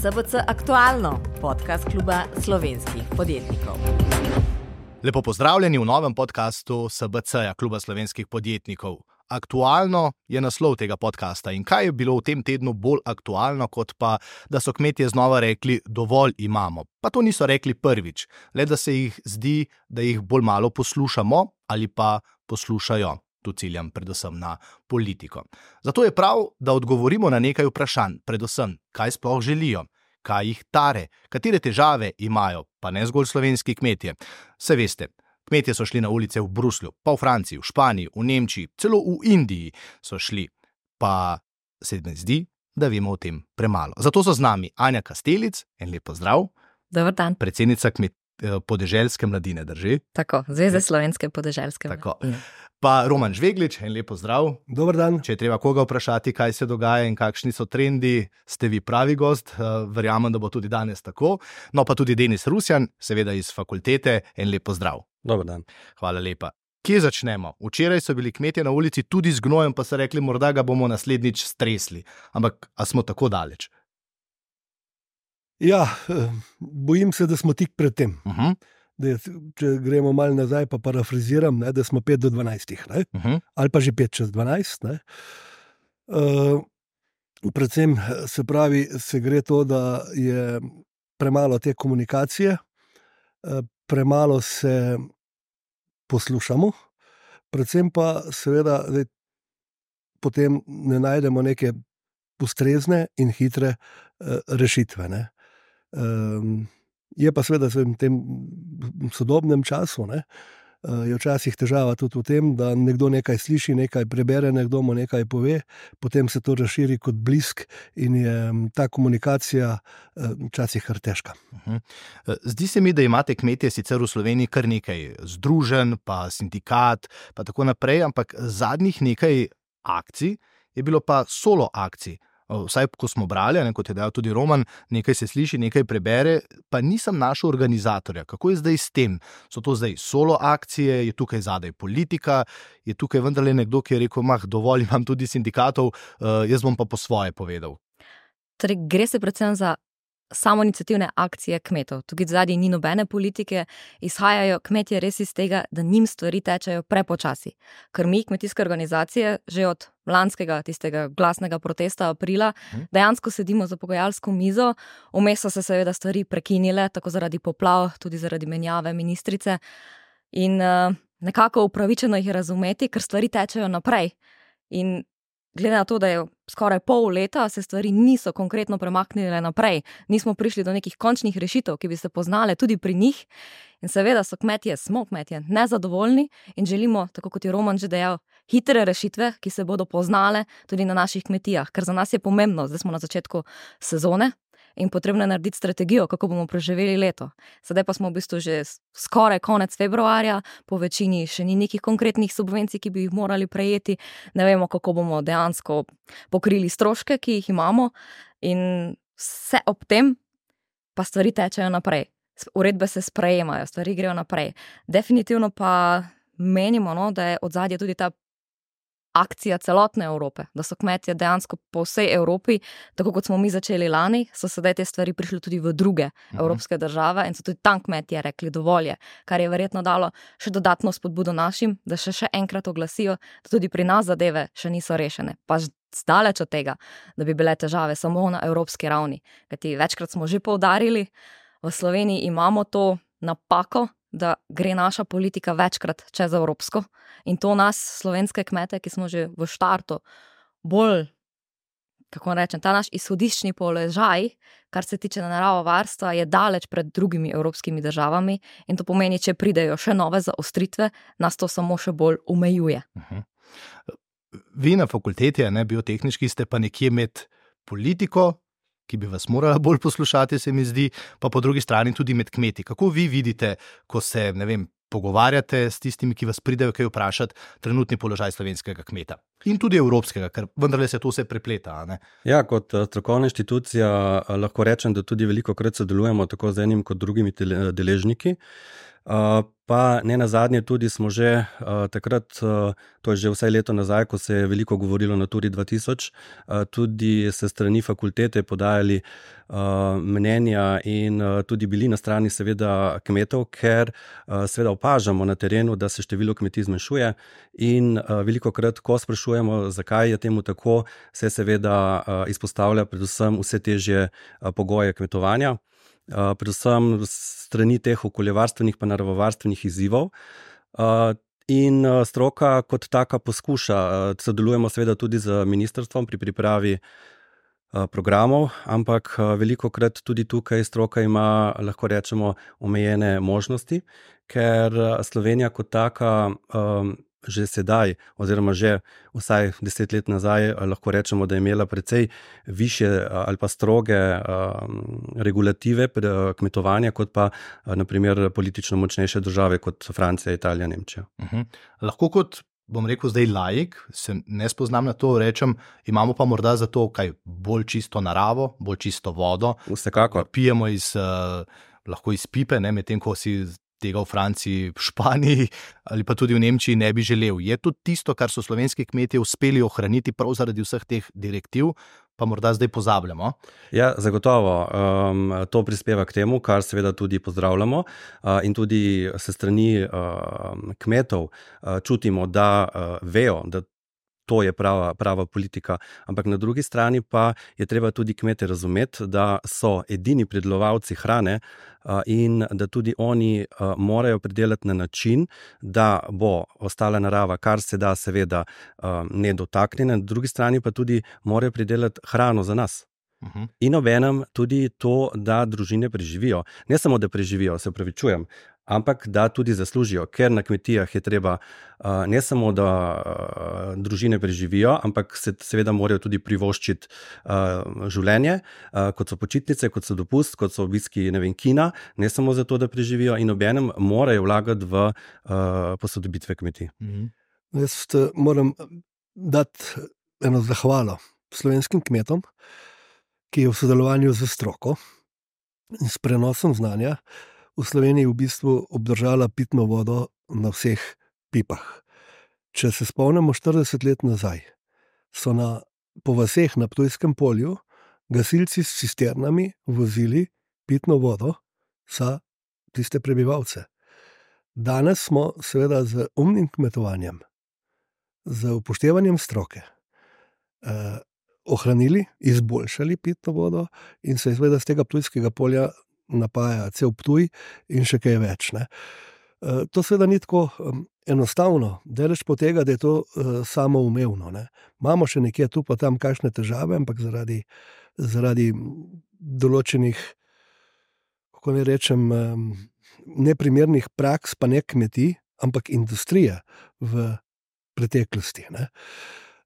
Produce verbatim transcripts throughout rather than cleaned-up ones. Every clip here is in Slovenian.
S B C Aktualno, podcast kluba slovenskih podjetnikov. Lepo pozdravljeni v novem podcastu S B C-ja, kluba slovenskih podjetnikov. Aktualno je naslov tega podcasta in kaj je bilo v tem tednu bolj aktualno, kot pa, da so kmetje znova rekli, dovolj imamo. Pa to niso rekli prvič, le da se jih zdi, da jih bolj malo poslušamo ali pa poslušajo. Tu ciljam predvsem na politiko. Zato je prav, da odgovorimo na nekaj vprašanj, predvsem, kaj sploh želijo, kaj jih tare, katere težave imajo, pa ne zgolj slovenski kmetje. Saj veste, kmetje so šli na ulice v Bruslju, pa v Franciji, v Španiji, v Nemčiji, celo v Indiji so šli, pa se mi zdi, da vemo o tem premalo. Zato so z nami Anja Kastelic, en lep pozdrav. Dober dan. Predsednica kmet, podeželske mladine, drži? Tako, Zveze slovenske podeželske Tako. mladine. Pa Roman Žveglič, en lep pozdrav. Dober dan. Če je treba koga vprašati, kaj se dogaja in kakšni so trendi, ste vi pravi gost, verjamem, da bo tudi danes tako. No pa tudi Denis Rusjan, seveda iz fakultete, en lep pozdrav. Dober dan. Hvala lepa. Kje začnemo? Včeraj so bili kmetje na ulici tudi z gnojem, pa so rekli, morda ga bomo naslednjič stresli. Ampak, a smo tako daleč? Ja, bojim se, da smo tik pred tem. Uh-huh. Da, če gremo malo nazaj, pa parafraziram, ne, da smo pet do dvanajstih, ne, Uh-huh. ali pa že pet čez dvanajst. Ne. Uh, predvsem se pravi, se gre to, da je premalo te komunikacije, uh, premalo se poslušamo, predvsem pa seveda da, potem ne najdemo neke ustrezne in hitre uh, rešitve. Ne. Um, je pa seveda v tem sodobnem času, ne, je včasih težava tudi v tem, da nekdo nekaj sliši, nekaj prebere, nekdo mu nekaj pove, potem se to razširi kot blisk in je ta komunikacija včasih kar težka. Uh-huh. Zdi se mi, da imate kmetje sicer v Sloveniji kar nekaj združenj, pa sindikat, pa tako naprej, ampak zadnjih nekaj akcij je bilo pa solo akcij. Vsaj, ko smo brali, ne, kot je dejal tudi Roman, nekaj se sliši, nekaj prebere, pa nisem našel organizatorja. Kako je zdaj s tem? So to zdaj solo akcije, je tukaj zadaj politika, je tukaj vendarle nekdo, ki je rekel, mah, dovolj imam tudi sindikatov, uh, jaz bom pa po svoje povedal. Torej, gre se predvsem za samoiniciativne akcije kmetov. Tukaj zadnji ni nobene politike, izhajajo kmetje res iz tega, da njim stvari tečejo prepočasi. Ker mi, kmetijske organizacije, že od lanskega tistega glasnega protesta aprila, dejansko sedimo za pogajalsko mizo, vmes so se seveda stvari prekinile, tako zaradi poplav, tudi zaradi menjave ministrice in uh, nekako upravičeno jih razumeti, ker stvari tečejo naprej. In glede na to, da je skoraj pol leta, se stvari niso konkretno premaknile naprej. Nismo prišli do nekih končnih rešitev, ki bi se poznale tudi pri njih. In seveda so kmetje, smo kmetje, nezadovoljni in želimo, tako kot je Roman že dejal, hitre rešitve, ki se bodo poznale tudi na naših kmetijah. Ker za nas je pomembno, zdaj smo na začetku sezone in potrebno je narediti strategijo, kako bomo preživeli leto. Sedaj pa smo v bistvu že skoraj konec februarja, po večini še ni nekih konkretnih subvencij, ki bi jih morali prejeti, ne vemo, kako bomo dejansko pokrili stroške, ki jih imamo in vse ob tem pa stvari tečejo naprej. Uredbe se sprejemajo, stvari grejo naprej. Definitivno pa menimo, no, da je odzadje tudi ta akcija celotne Evrope, da so kmetje dejansko po vsej Evropi, tako kot smo mi začeli lani, so sedaj te stvari prišli tudi v druge uh-huh. evropske države in so tudi tam kmetje rekli dovolj je, kar je verjetno dalo še dodatno spodbudo našim, da še še enkrat oglasijo, da tudi pri nas zadeve še niso rešene. Pa zdaleč od tega, da bi bile težave samo na evropski ravni. Kajti večkrat smo že poudarili, v Sloveniji imamo to napako, da gre naša politika večkrat čez evropsko in to nas, slovenske kmete, ki smo že v štartu bolj, kako rečem, ta naš izhodiščni položaj, kar se tiče naravovarstva, je daleč pred drugimi evropskimi državami in to pomeni, če pridejo še nove zaostritve, nas to samo še bolj omejuje. Uh-huh. Vi na fakulteti, ne, biotehniški, ste pa nekje med politiko, ki bi vas morala bolj poslušati, se mi zdi, pa po drugi strani tudi med kmeti. Kako vi vidite, ko se, ne vem, pogovarjate s tistimi, ki vas pridejo kaj vprašati, trenutni položaj slovenskega kmeta in tudi evropskega, ker vendarle se to vse prepleta, a ne? Ja, kot strokovna inštitucija lahko rečem, da tudi veliko krat sodelujemo tako z enim kot drugimi deležniki. Pa ne nazadnje tudi smo že takrat, to je že vsaj leto nazaj, ko se je veliko govorilo na Naturi dva tisoč, tudi se strani fakultete podajali mnenja in tudi bili na strani seveda kmetov, ker seveda opažamo na terenu, da se število kmetij zmanjšuje in velikokrat, ko sprašujemo, zakaj je temu tako, se seveda izpostavlja predvsem vse težje pogoje kmetovanja, predvsem strani teh okoljevarstvenih pa naravovarstvenih izzivov. In stroka kot taka poskuša, sodelujemo seveda tudi z ministrstvom pri pripravi programov, ampak velikokrat tudi tukaj stroka ima, lahko rečemo, omejene možnosti, ker Slovenija kot taka že sedaj, oziroma že vsaj deset let nazaj, lahko rečemo, da je imela precej višje ali pa stroge regulative kmetovanja, kot pa naprimer politično močnejše države kot Francija, Italija, Nemčija. Uh-huh. Lahko kot, bom rekel zdaj laik, se ne spoznam na to, rečem, imamo pa morda za to kaj bolj čisto naravo, bolj čisto vodo. Vsekakor. Pijemo iz, uh, lahko iz pipe, ne, medtem ko si tega v Franciji, v Španiji ali pa tudi v Nemčiji ne bi želel. Je to tisto, kar so slovenski kmetje uspeli ohraniti prav zaradi vseh teh direktiv, pa morda zdaj pozabljamo? Ja, zagotovo. Um, to prispeva k temu, kar seveda tudi pozdravljamo uh, in tudi se strani uh, kmetov uh, čutimo, da uh, vejo, da to je prava, prava politika, ampak na drugi strani pa je treba tudi kmete razumeti, da so edini pridelovalci hrane in da tudi oni morajo pridelati na način, da bo ostala narava, kar se da seveda nedotaknjena, na drugi strani pa tudi morajo pridelati hrano za nas. Uh-huh. In obenem tudi to, da družine preživijo. Ne samo, da preživijo, se opravičujem, ampak da tudi zaslužijo, ker na kmetijah je treba ne samo, da družine preživijo, ampak se seveda morajo tudi privoščiti življenje, kot so počitnice, kot so dopust, kot so obiski, ne vem, kina, ne samo zato, da preživijo, in obenem morajo vlagati v posodobitve kmetij. Uh-huh. Jaz moram dati eno zahvalo slovenskim kmetom, ki je v sodelovanju z stroko in s prenosom znanja v Sloveniji v bistvu obdržala pitno vodo na vseh pipah. Če se spomnimo štirideset let nazaj, so na, po vaseh na Ptujskem polju gasilci s cisternami vozili pitno vodo za tiste prebivalce. Danes smo seveda z umnim kmetovanjem, z upoštevanjem stroke, eh, ohranili, izboljšali pitno vodo in se seveda z tega Ptujskega polja napaja cel Ptuj in še kaj več. Ne. E, to seveda ni tako um, enostavno, delež po tega, da je to uh, samoumevno. Ne. Imamo še nekje tu pa tam kakšne težave, ampak zaradi, zaradi določenih, kako ne rečem, um, neprimernih praks, pa ne kmetij, ampak industrije v preteklosti. Ne.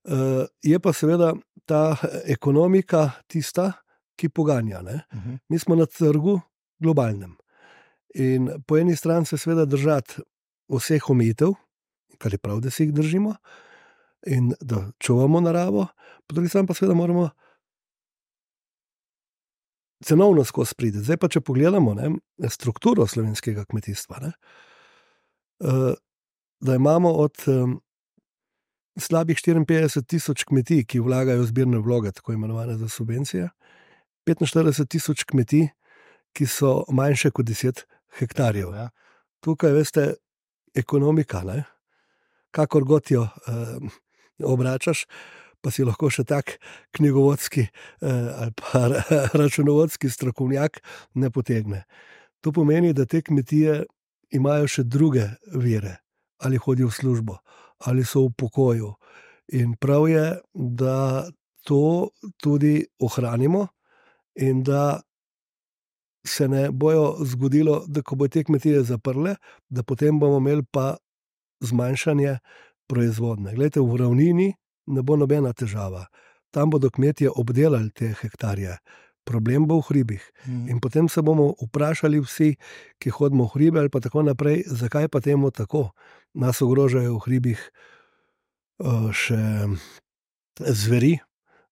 Uh, je pa seveda ta ekonomika tista, ki poganja. Ne? Uh-huh. Mi smo na trgu globalnem in po eni strani se seveda držati vseh omejitev, kar je prav, da se jih držimo in da čuvamo naravo, po drugi strani pa seveda moramo cenovno skozi priti. Zdaj pa, če pogledamo, ne, strukturo slovenskega kmetijstva, ne, uh, da imamo od um, slabih štiriinpetdeset tisoč kmetij, ki vlagajo zbirne vloge, tako imenovane za subvencije, petinštirideset tisoč kmetij, ki so manjše kot deset hektarjev. Ja. Tukaj, veste, ekonomika, ne? Kakor god jo eh, obračaš, pa si lahko še tak knjigovodski eh, ali pa računovodski strokovnjak ne potegne. To pomeni, da te kmetije imajo še druge vire, ali hodijo v službo, ali so v pokoju. In prav je, da to tudi ohranimo in da se ne bojo zgodilo, da ko bo te kmetije zaprle, da potem bomo imeli pa zmanjšanje proizvodne. Glejte, v ravnini ne bo nobena težava. Tam bodo kmetije obdelali te hektarje. Problem bo v hribih. Mm. In potem se bomo vprašali vsi, ki hodimo v hribe ali pa tako naprej, zakaj pa temu tako. Nas ogrožajo v hribih še zveri,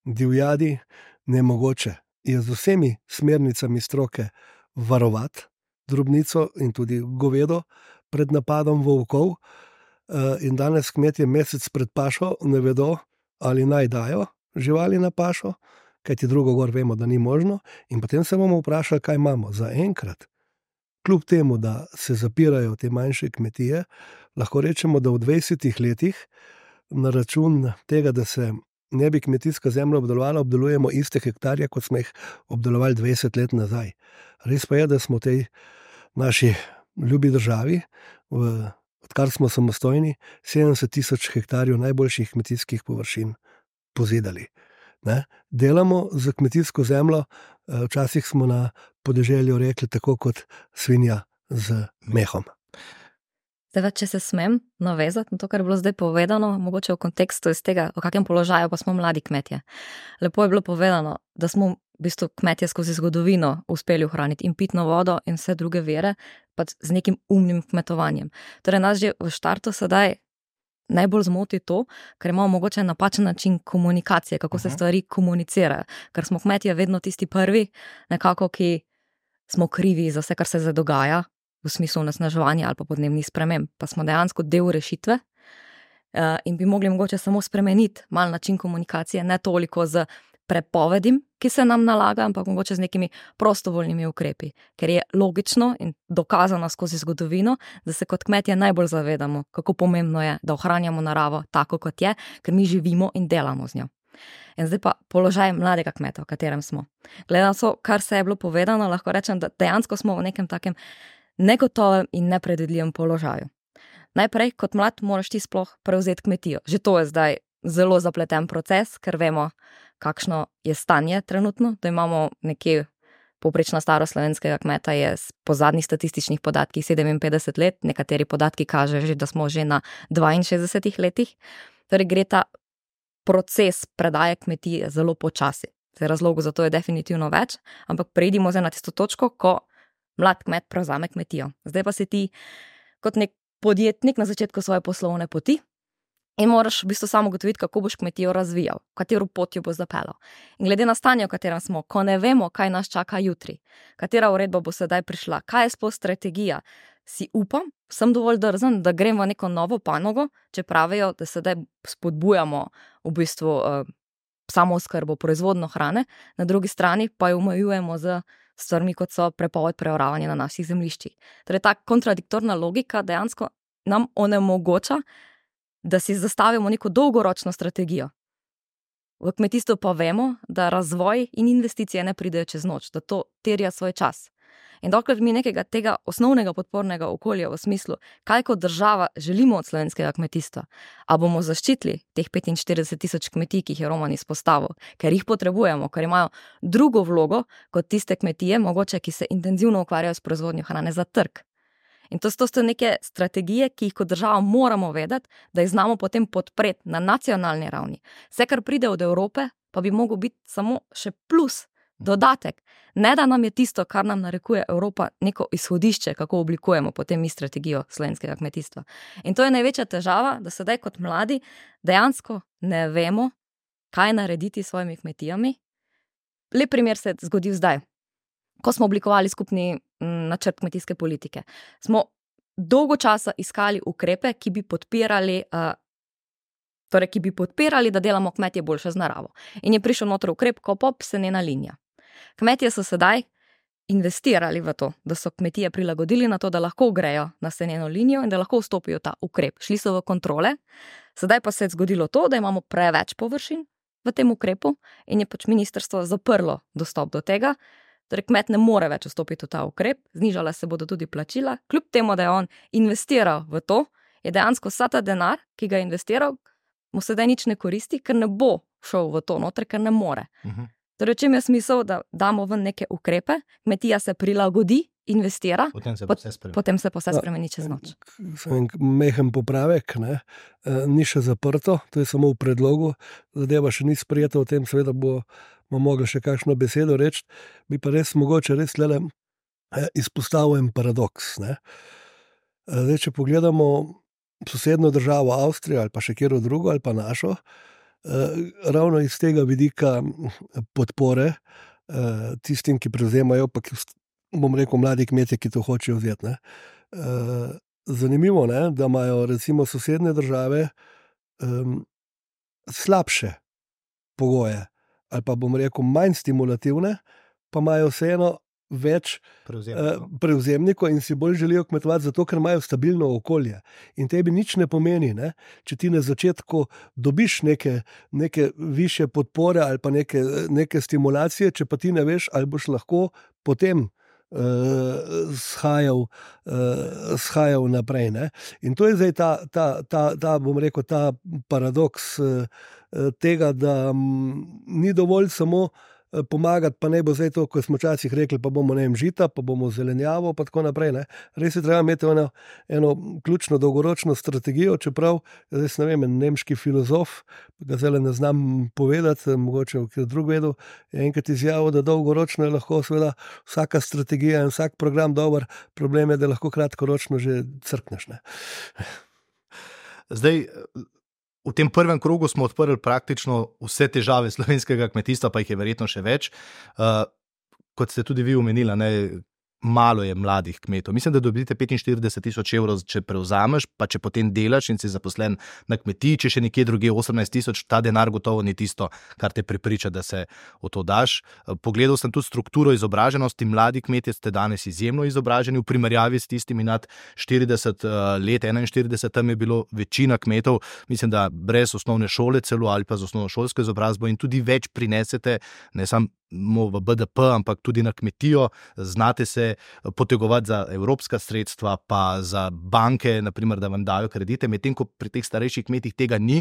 divjadi, nemogoče je z vsemi smernicami stroke varovati drobnico in tudi govedo pred napadom volkov. In danes kmetje mesec pred pašo ne vedo, ali naj dajo živali na pašo, kajti drugo gor vemo, da ni možno. In potem se bomo vprašali, kaj imamo za enkrat. Kljub temu, da se zapirajo te manjše kmetije, lahko rečemo, da v dvajsetih letih na račun tega, da se ne bi kmetijska zemlja obdelovala, obdelujemo iste hektarje, kot smo jih obdelovali dvajset let nazaj. Res pa je, da smo v tej naši ljubi državi, v, odkar smo samostojni, sedemdeset tisoč hektarjev najboljših kmetijskih površin pozidali. Ne? Delamo za kmetijsko zemljo, včasih smo na podeželju rekli tako kot svinja z mehom. Zdaj, če se smem navezati na to, kar je bilo zdaj povedano, mogoče v kontekstu iz tega, v kakem položaju pa smo mladi kmetje. Lepo je bilo povedano, da smo v bistvu kmetje skozi zgodovino uspeli ohraniti in pitno vodo in vse druge vire, pa z nekim umnim kmetovanjem. Torej, nas že v štartu sedaj najbolj zmoti to, ker imamo mogoče napačen način komunikacije, kako se stvari komunicirajo, ker smo kmetje vedno tisti prvi, nekako, ki smo krivi za vse, kar se zdaj dogaja, v smislu onesnaževanja ali pa podnebnih sprememb, pa smo dejansko del rešitve in bi mogli mogoče samo spremeniti mal način komunikacije, ne toliko z prepovedim, ki se nam nalaga, ampak mogoče z nekimi prostovoljnimi ukrepi, ker je logično in dokazano skozi zgodovino, da se kot kmetje najbolj zavedamo, kako pomembno je, da ohranjamo naravo tako, kot je, ker mi živimo in delamo z njo. In zdaj pa položaj mladega kmeta, v katerem smo. Glede na to, kar se je bilo povedano, lahko rečem, da dejansko smo v nekem takem negotovem in nepredvidljivem položaju. Najprej, kot mlad, moraš ti sploh prevzeti kmetijo. Že to je zdaj zelo zapleten proces, ker vemo, kakšno je stanje trenutno, da imamo nekje povprečna starost slovenskega kmeta je po zadnjih statističnih podatkih sedeminpetdeset let, nekateri podatki kažejo, da smo že na dvainšestdesetih letih. Torej gre ta proces predaje kmetije zelo počasi. Razlogov za to je definitivno več, ampak preidimo zdaj na tisto točko, ko mlad kmet prevzame kmetijo. Zdaj pa si ti kot nek podjetnik na začetku svoje poslovne poti in moraš v bistvu samo ugotoviti, kako boš kmetijo razvijal, v katero pot jo bo zapeljal. In glede na stanje, v katerem smo, ko ne vemo, kaj nas čaka jutri, katera uredba bo sedaj prišla, kaj je sploh strategija, si upam, sem dovolj drzen, da grem v neko novo panogo, če pravijo, da sedaj spodbujamo v bistvu uh, samooskrbo, proizvodno hrane, na drugi strani pa jo omejujemo z stvarmi, kot so prepoved preoravanja na naših zemljiščih. Torej, ta kontradiktorna logika dejansko nam onemogoča, da si zastavimo neko dolgoročno strategijo. V kmetijstvu pa vemo, da razvoj in investicije ne pridejo čez noč, da to terja svoj čas. In dokler mi nekega tega osnovnega podpornega okolja v smislu, kaj kot država želimo od slovenskega kmetijstva, a bomo zaščitili teh petinštirideset tisoč kmetij, ki jih je Roman izpostavil, ker jih potrebujemo, ker imajo drugo vlogo kot tiste kmetije, mogoče, ki se intenzivno ukvarjajo s proizvodnjo hrane za trg. In to so neke strategije, ki jih kot država moramo vedeti, da jih znamo potem podpreti na nacionalni ravni. Vse, kar pride od Evrope, pa bi mogel biti samo še plus, dodatek. Ne, da nam je tisto, kar nam narekuje Evropa, neko izhodišče, kako oblikujemo potem mi strategijo slovenskega kmetijstva. In to je največja težava, da sedaj kot mladi dejansko ne vemo, kaj narediti s svojimi kmetijami. Lep primer se je zgodil zdaj. Ko smo oblikovali skupni načrt kmetijske politike, smo dolgo časa iskali ukrepe, ki bi podpirali, uh, torej, ki bi podpirali, da delamo kmetje boljše z naravo. In je prišel noter ukrep KOPOP, senena linija. Kmetje so sedaj investirali v to, da so kmetije prilagodili na to, da lahko grejo na seneno linijo in da lahko vstopijo ta ukrep. Šli so v kontrole, sedaj pa se je zgodilo to, da imamo preveč površin v tem ukrepu in je pač ministrstvo zaprlo dostop do tega. Torej, kmet ne more več vstopiti v ta ukrep, znižala se bodo tudi plačila, kljub temu, da je on investiral v to, je dejansko vsa ta denar, ki ga je investiral, mu sedaj nič ne koristi, ker ne bo šel v to noter, ker ne more. Uh-huh. Torej, čem je smisel, da damo ven neke ukrepe, kmetija se prilagodi, investira, potem se, pot, potem se pa vse spremeni čez noč. Mehen popravek, ne? Ni še zaprto, to je samo v predlogu, zadeva še ni sprejeta, o tem seveda bo bomo mogli še kakšno besedo reči, bi pa res mogoče res lele izpostavil en paradoks. Ne? Zdaj, če pogledamo sosednjo državo Avstrijo ali pa še kjero drugo ali pa našo, ravno iz tega vidika podpore tistim, ki prevzemajo, pa bom rekel, mladi kmetje, ki to hočejo vzeti. Ne. Uh, zanimivo je, da imajo recimo sosednje države um, slabše pogoje, ali pa bom rekel, manj stimulativne, pa imajo vseeno več Prevzemnikov. uh, prevzemnikov in si bolj želijo kmetovati, zato ker imajo stabilno okolje. In tebi nič ne pomeni, ne? Če ti na začetku dobiš neke, neke više podpore ali pa neke, neke stimulacije, če pa ti ne veš, ali boš lahko potem Uh, shajal, uh, shajal naprej. Ne? In to je zdaj ta, ta, ta, ta, bom rekel, ta paradoks uh, tega, da um, ni dovolj samo uh, pomagati, pa ne bo zdaj to, ko smo včasih rekli, pa bomo ne vem, žita, pa bomo zelenjavo, pa tako naprej. Ne? Res je treba imeti eno, eno ključno dolgoročno strategijo, čeprav, zdaj ne vem, nemški filozof, ga zdaj ne znam povedati, mogoče v drug vedu, je enkrat izjavil, da dolgoročno je lahko seveda vsaka strategija in vsak program dober, problem je, da lahko kratkoročno že crkneš. Ne? Zdaj, v tem prvem krogu smo odprli praktično vse težave slovenskega kmetijstva, pa jih je verjetno še več. Uh, kot ste tudi vi omenili, ne, malo je mladih kmetov. Mislim, da dobite petinštirideset tisoč evrov, če prevzameš, pa če potem delaš in si zaposlen na kmetiji, če še nekje drugje osemnajst tisoč, ta denar gotovo ni tisto, kar te prepriča, da se v to daš. Pogledal sem tudi strukturo izobraženosti. Mladi kmetje ste danes izjemno izobraženi v primerjavi s tistimi nad štirideset let, enainštirideset, tam je bilo večina kmetov, mislim, da brez osnovne šole celo ali pa z osnovnošolsko izobrazbo in tudi več prinesete, ne samo v B D P, ampak tudi na kmetijo, znate se potegovati za evropska sredstva, pa za banke, naprimer, da vam dajo kredite, medtem ko pri teh starejših kmetih tega ni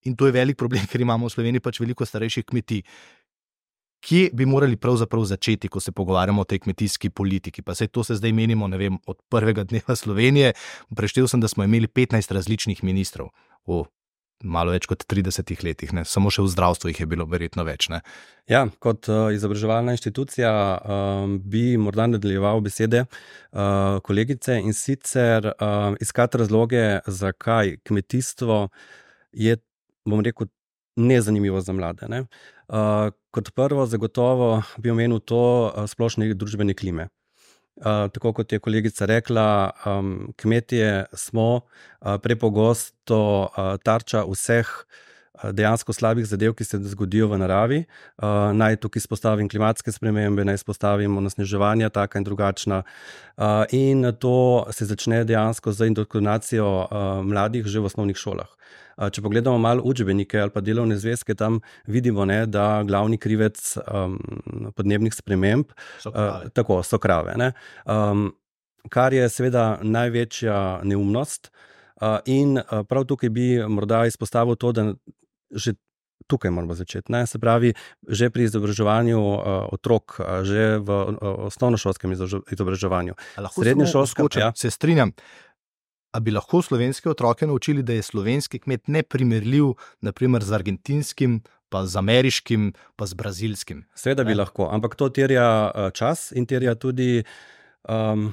in to je velik problem, ker imamo v Sloveniji pač veliko starejših kmetij. Kje bi morali pravzaprav začeti, ko se pogovarjamo o tej kmetijski politiki? Pa saj to se zdaj menimo, ne vem, od prvega dneva Slovenije. Preštel sem, da smo imeli petnajst različnih ministrov v malo več kot tridesetih letih, ne? Samo še v zdravstvu jih je bilo verjetno več. Ne? Ja, kot uh, izobraževalna inštitucija um, bi morda nadaljeval besede uh, kolegice in sicer uh, iskati razloge, zakaj kmetijstvo je, bom rekel, nezanimivo za mlade. Ne? Uh, kot prvo, zagotovo bi omenil to uh, splošne družbene klime. Uh, tako kot je kolegica rekla, um, kmetje smo uh, prepogosto uh, tarča vseh uh, dejansko slabih zadev, ki se zgodijo v naravi. Uh, naj tukaj izpostavim klimatske spremembe, naj izpostavim onesnaževanja, taka in drugačna. Uh, in to se začne dejansko z indoktrinacijo uh, mladih že v osnovnih šolah. Če pogledamo malo učbenike ali pa delovne zvezke, tam vidimo, ne, da glavni krivec um, podnebnih sprememb so krave. Uh, tako, so krave. Ne. Um, kar je seveda največja neumnost uh, in uh, prav tukaj bi morda izpostavil to, da že tukaj moramo začeti. Ne. Se pravi, že pri izobraževanju uh, otrok, uh, že v uh, osnovnošolskem izobraževanju. Srednješolskem, ja. Se strinjam. A bi lahko slovenske otroke naučili, da je slovenski kmet neprimerljiv, naprimer z argentinskim, pa z ameriškim, pa z brazilskim? Seveda bi lahko, ampak to terja čas in terja tudi um,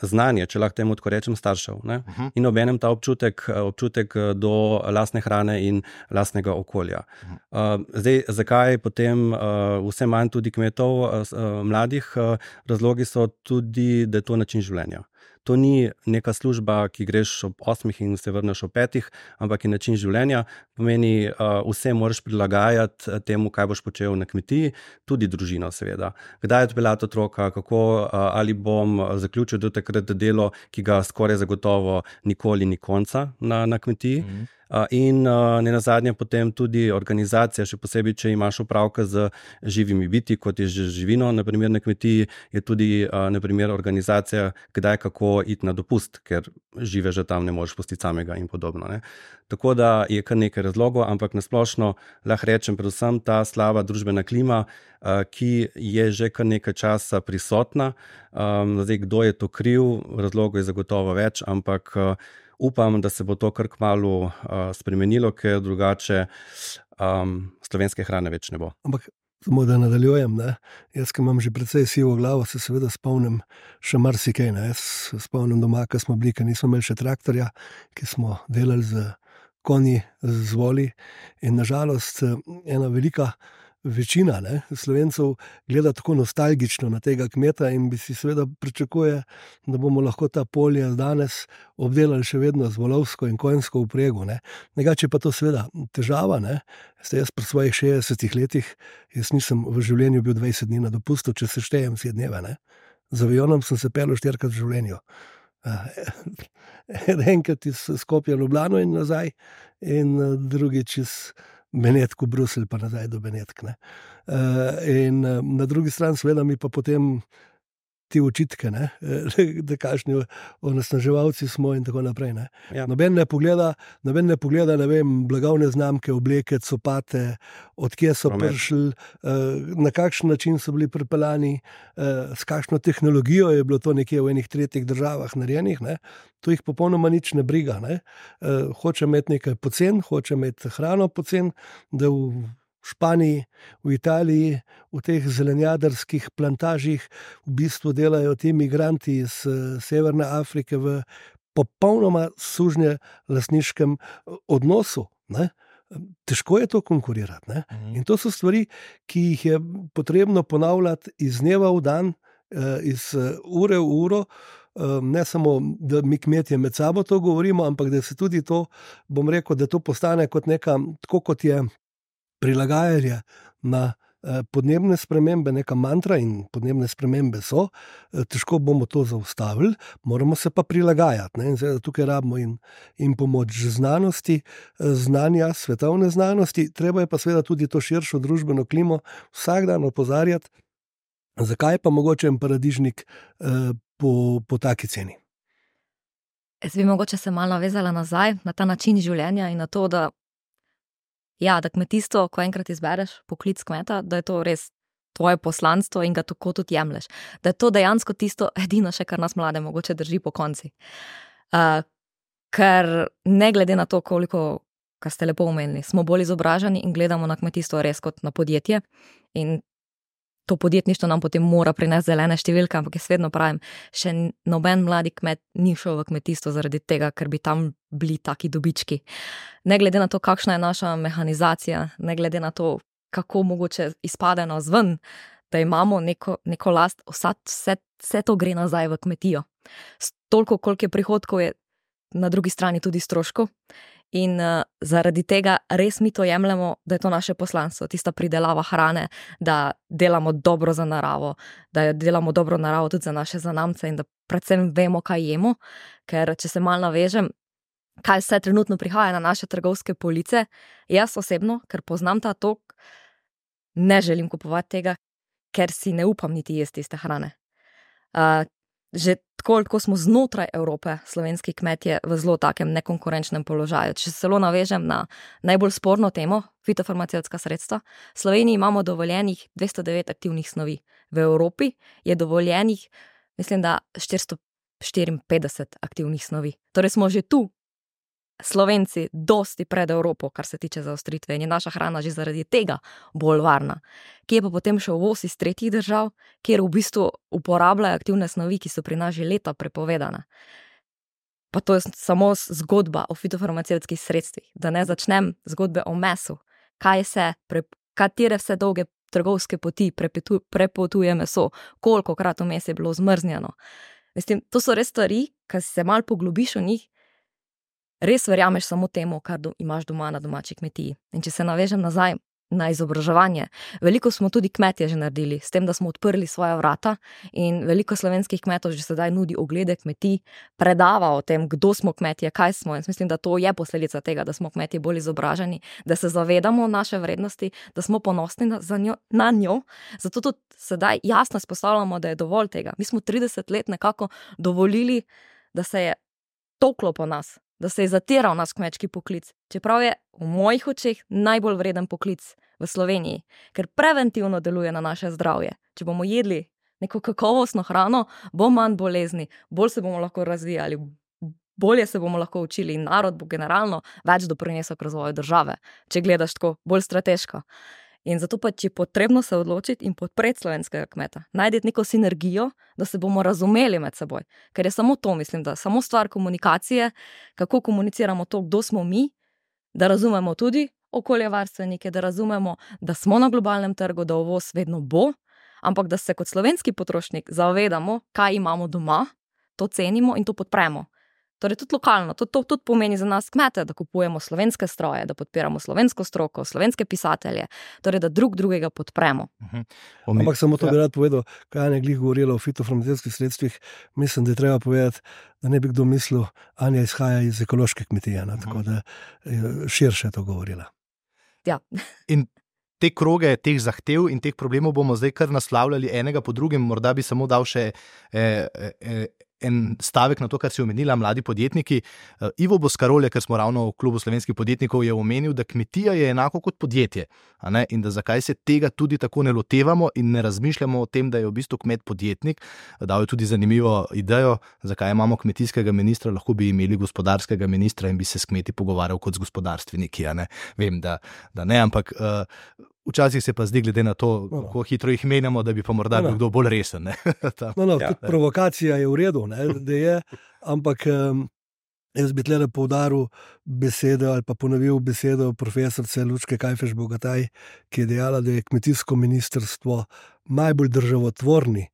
znanje, če lahko temu tako rečem, staršev. Ne? Uh-huh. In obenem ta občutek, občutek do lastne hrane in lastnega okolja. Uh-huh. Uh, zdaj, zakaj potem uh, vse manj tudi kmetov uh, mladih? Uh, razlogi so tudi, da je to način življenja. To ni neka služba, ki greš ob osmih in se vrneš ob petih, ampak je način življenja. Pomeni, uh, vse moraš prilagajati temu, kaj boš počel na kmetiji, tudi družino seveda. Kdaj odpeljati otroka, kako, uh, ali bom zaključil do takrat delo, ki ga skoraj zagotovo nikoli ni konca na, na kmetiji. Mm-hmm. In ne nazadnje potem tudi organizacija, še posebej, če imaš opravka z živimi biti, kot je že živino, naprimer na kmetiji, je tudi naprimer organizacija, kdaj kako iti na dopust, ker žive že tam ne moreš pustiti samega in podobno. Ne. Tako da je kar nekaj razlogov, ampak nasplošno lahko rečem predvsem ta slaba družbena klima, ki je že kar nekaj časa prisotna. Zdaj, kdo je to kriv, razlogov je zagotovo več, ampak upam, da se bo to kar kmalu uh, spremenilo, ker drugače um, slovenske hrane več ne bo. Ampak samo da nadaljujem, ne? Jaz, ki imam že precej sivo glavo, se seveda spomnim še marsikaj. Ne? Jaz spomnim doma, ko smo bili, ker nismo imeli še traktorja, ki smo delali z konji, z voli. In nažalost ena velika večina ne, Slovencev gleda tako nostalgično na tega kmeta in bi si seveda pričakuje, da bomo lahko ta polja danes obdelali še vedno z volovsko in konjsko vprego. Ne. Negače pa to seveda težava. Ne. Jaz pri svojih šestdesetih letih, jaz nisem v življenju bil dvajset dni na dopustu, če se štejem vse dneve. Ne. Z avionom sem se pelil štirikrat v življenju. Enkrat iz Skopja v Ljubljano in nazaj, in drugič iz Benetk v Bruselj, pa nazaj do Benetk. Ne. In na drugi strani seveda mi pa potem ti očitke, ne, da kakšni onesnaževalci smo in tako naprej. Ne. Ja. Noben ne pogleda, noben ne pogleda, ne vem, blagovne znamke, obleke, copate, odkje so Promet. prišli, na kakšen način so bili pripeljani, s kakšno tehnologijo je bilo to nekje v enih tretjih državah narejenih, ne. To jih popolnoma nič ne briga. Ne. Hoče imeti nekaj pocen, hoče imeti hrano pocen, da v Španiji, v Italiji, v teh zelenjadarskih plantažih v bistvu delajo ti migranti iz Severne Afrike v popolnoma sužnje lastniškem odnosu. Ne? Težko je to konkurirati. Ne? In to so stvari, ki jih je potrebno ponavljati iz dneva v dan, iz ure v uro. Ne samo, da mi kmetje med sabo to govorimo, ampak da se tudi to, bom rekel, da to postane kot neka, tako kot je prilagajanje na podnebne spremembe, neka mantra, in podnebne spremembe so, težko bomo to zaustavili, moramo se pa prilagajati. Ne? In zdaj, tukaj rabimo in, in pomoč znanosti, znanja, svetovne znanosti, treba je pa seveda tudi to širšo družbeno klimo vsak dan opozarjati, zakaj pa mogoče en paradižnik eh, po, po taki ceni. Jaz bi mogoče se malo navezala nazaj na ta način življenja in na to, da ja, da kmetijstvo, ko enkrat izbereš poklic kmeta, da je to res tvoje poslanstvo in ga tako tudi jemlješ. Da je to dejansko tisto edino še, kar nas mlade mogoče drži po konci. Uh, ker ne glede na to, koliko, kar ste lepo omenili, smo bolj izobraženi in gledamo na kmetijstvo res kot na podjetje in to podjetništvo nam potem mora prinesti zelene številke, ampak jaz vedno pravim, še noben mladi kmet ni šel v kmetijstvo zaradi tega, ker bi tam bili taki dobički. Ne glede na to, kakšna je naša mehanizacija, ne glede na to, kako mogoče izpade nas ven, da imamo neko, neko last, vse, vse, vse to gre nazaj v kmetijo. Toliko, koliko je prihodkov, je na drugi strani tudi stroškov. In uh, zaradi tega res mi to jemljemo, da je to naše poslanstvo, tista pridelava hrane, da delamo dobro za naravo, da delamo dobro naravo tudi za naše zanamce in da predvsem vemo, kaj jemo, ker če se malo navežem, kaj vse trenutno prihaja na naše trgovske police, jaz osebno, ker poznam ta tok, ne želim kupovati tega, ker si ne upam niti jesti tiste hrane. Uh, Že tako, ko smo znotraj Evrope, slovenski kmetje v zelo takem nekonkurenčnem položaju. Če se celo navežem na najbolj sporno temo, fitofarmacevtska sredstva, v Sloveniji imamo dovoljenih dvesto devet aktivnih snovi. V Evropi je dovoljenih, mislim, da štiristo štiriinpetdeset aktivnih snovi. Torej smo že tu, Slovenci, dosti pred Evropo, kar se tiče zaostritve, in je naša hrana že zaradi tega bolj varna. Kje pa potem še uvoz iz tretjih držav, kjer v bistvu uporabljajo aktivne snovi, ki so pri nas že leta prepovedane. Pa to je samo zgodba o fitofarmacevtskih sredstvih, da ne začnem zgodbe o mesu, kaj se, pre, katere vse dolge trgovske poti prepetu, prepotuje meso, kolikokrat vmes je bilo zmrznjeno. Mislim, to so res stvari, ki se malo poglobiš v njih, res verjameš samo temu, kar do, imaš doma na domači kmetiji. In če se navežem nazaj na izobraževanje, veliko smo tudi kmetje že naredili, s tem, da smo odprli svoja vrata in veliko slovenskih kmetov že sedaj nudi oglede kmetij, predava o tem, kdo smo kmetje, kaj smo. In mislim, da to je posledica tega, da smo kmetje bolj izobraženi, da se zavedamo naše vrednosti, da smo ponosni na, za njo, na njo. Zato tudi sedaj jasno izpostavljamo, da je dovolj tega. Mi smo trideset let nekako dovolili, da se je toklo po nas, da se je zatiral nas kmečki poklic, čeprav je v mojih očeh najbolj vreden poklic v Sloveniji, ker preventivno deluje na naše zdravje. Če bomo jedli neko kakovostno hrano, bo manj bolezni, bolj se bomo lahko razvijali, bolje se bomo lahko učili in narod bo generalno več doprinesel k razvoju države, če gledaš tako bolj strateško. In zato pa je potrebno se odločiti in podpreti slovenskega kmeta. Najdeti neko sinergijo, da se bomo razumeli med seboj. Ker je samo to, mislim, da samo stvar komunikacije, kako komuniciramo to, kdo smo mi, da razumemo tudi okoljevarstvenike, da razumemo, da smo na globalnem trgu, da uvoz vedno bo, ampak da se kot slovenski potrošnik zavedamo, kaj imamo doma, to cenimo in to podpremo. Torej tudi lokalno, to, to tudi pomeni za nas kmete, da kupujemo slovenske stroje, da podpiramo slovensko stroko, slovenske pisatelje, torej da drug drugega podpremo. Uh-huh. Ampak samo to bi rad povedal, kaj Anja glih govorila o fitofarmacevtskih sredstvih, mislim, da je treba povedati, da ne bi kdo mislil, Anja izhaja iz ekološke kmetije, uh-huh. tako da je širše to govorila. Ja. In te kroge, teh zahtev in teh problemov bomo zdaj kar naslavljali enega po drugem, morda bi samo dal še eh, eh, en stavek na to, kar si omenila, mladi podjetniki. Ivo Boscarole, ker smo ravno v klubu slovenskih podjetnikov, je omenil, da kmetija je enako kot podjetje, a ne? In da zakaj se tega tudi tako ne lotevamo in ne razmišljamo o tem, da je v bistvu kmet podjetnik. Dal je tudi zanimivo idejo, zakaj imamo kmetijskega ministra, lahko bi imeli gospodarskega ministra in bi se s kmeti pogovarjal kot z gospodarstveniki, a ne? Vem, da, da ne, ampak uh, včasih se pa zdi, glede na to, no, no. kako hitro jih menjamo, da bi pa morda no, no. kdo bolj resen. Ne? no, no, ja. Provokacija je v redu, ne, da je, ampak um, jaz bi tle poudaril besedo ali pa ponovil besedo profesorice Lučke Kajfež-Bogataj, ki je dejala, da je kmetijsko ministrstvo najbolj državotvorni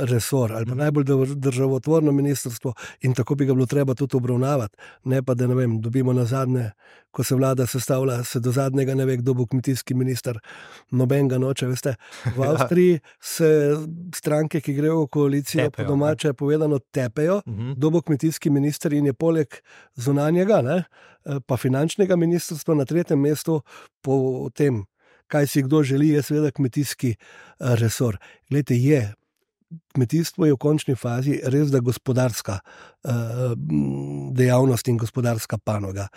resor ali pa najbolj državotvorno ministrstvo in tako bi ga bilo treba tudi obravnavati. Ne pa, da ne vem, dobimo na zadnje, ko se vlada sestavlja, se do zadnjega ne ve, kdo bo kmetijski minister, noben ga noče, veste. V Avstriji se stranke, ki grejo v koalicijo, tepejo, po domače povedano tepejo, uh-huh. kdo bo kmetijski minister in je poleg zunanjega, ne, pa finančnega ministrstva na tretjem mestu po tem, kaj si kdo želi, je seveda kmetijski resor. Glejte, je kmetijstvo je v končni fazi res da gospodarska uh, dejavnost in gospodarska panoga.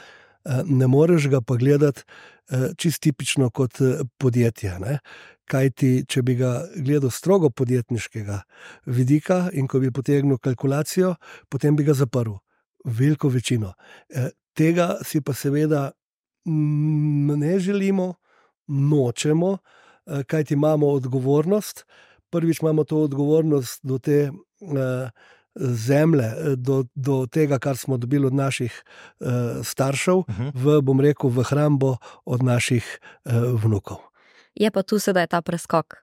Uh, ne moreš ga pa gledati uh, čist tipično kot uh, podjetje. Ne? Kajti, če bi ga gledal strogo podjetniškega vidika in ko bi potegnil kalkulacijo, potem bi ga zaprl. Veliko večino. Uh, tega si pa seveda mm, ne želimo, nočemo, uh, kajti imamo odgovornost. Prvič imamo to odgovornost do te uh, zemlje, do, do tega, kar smo dobili od naših uh, staršev, uh-huh. v, bom rekel, v hrambo od naših uh, vnukov. Je pa tu sedaj ta preskok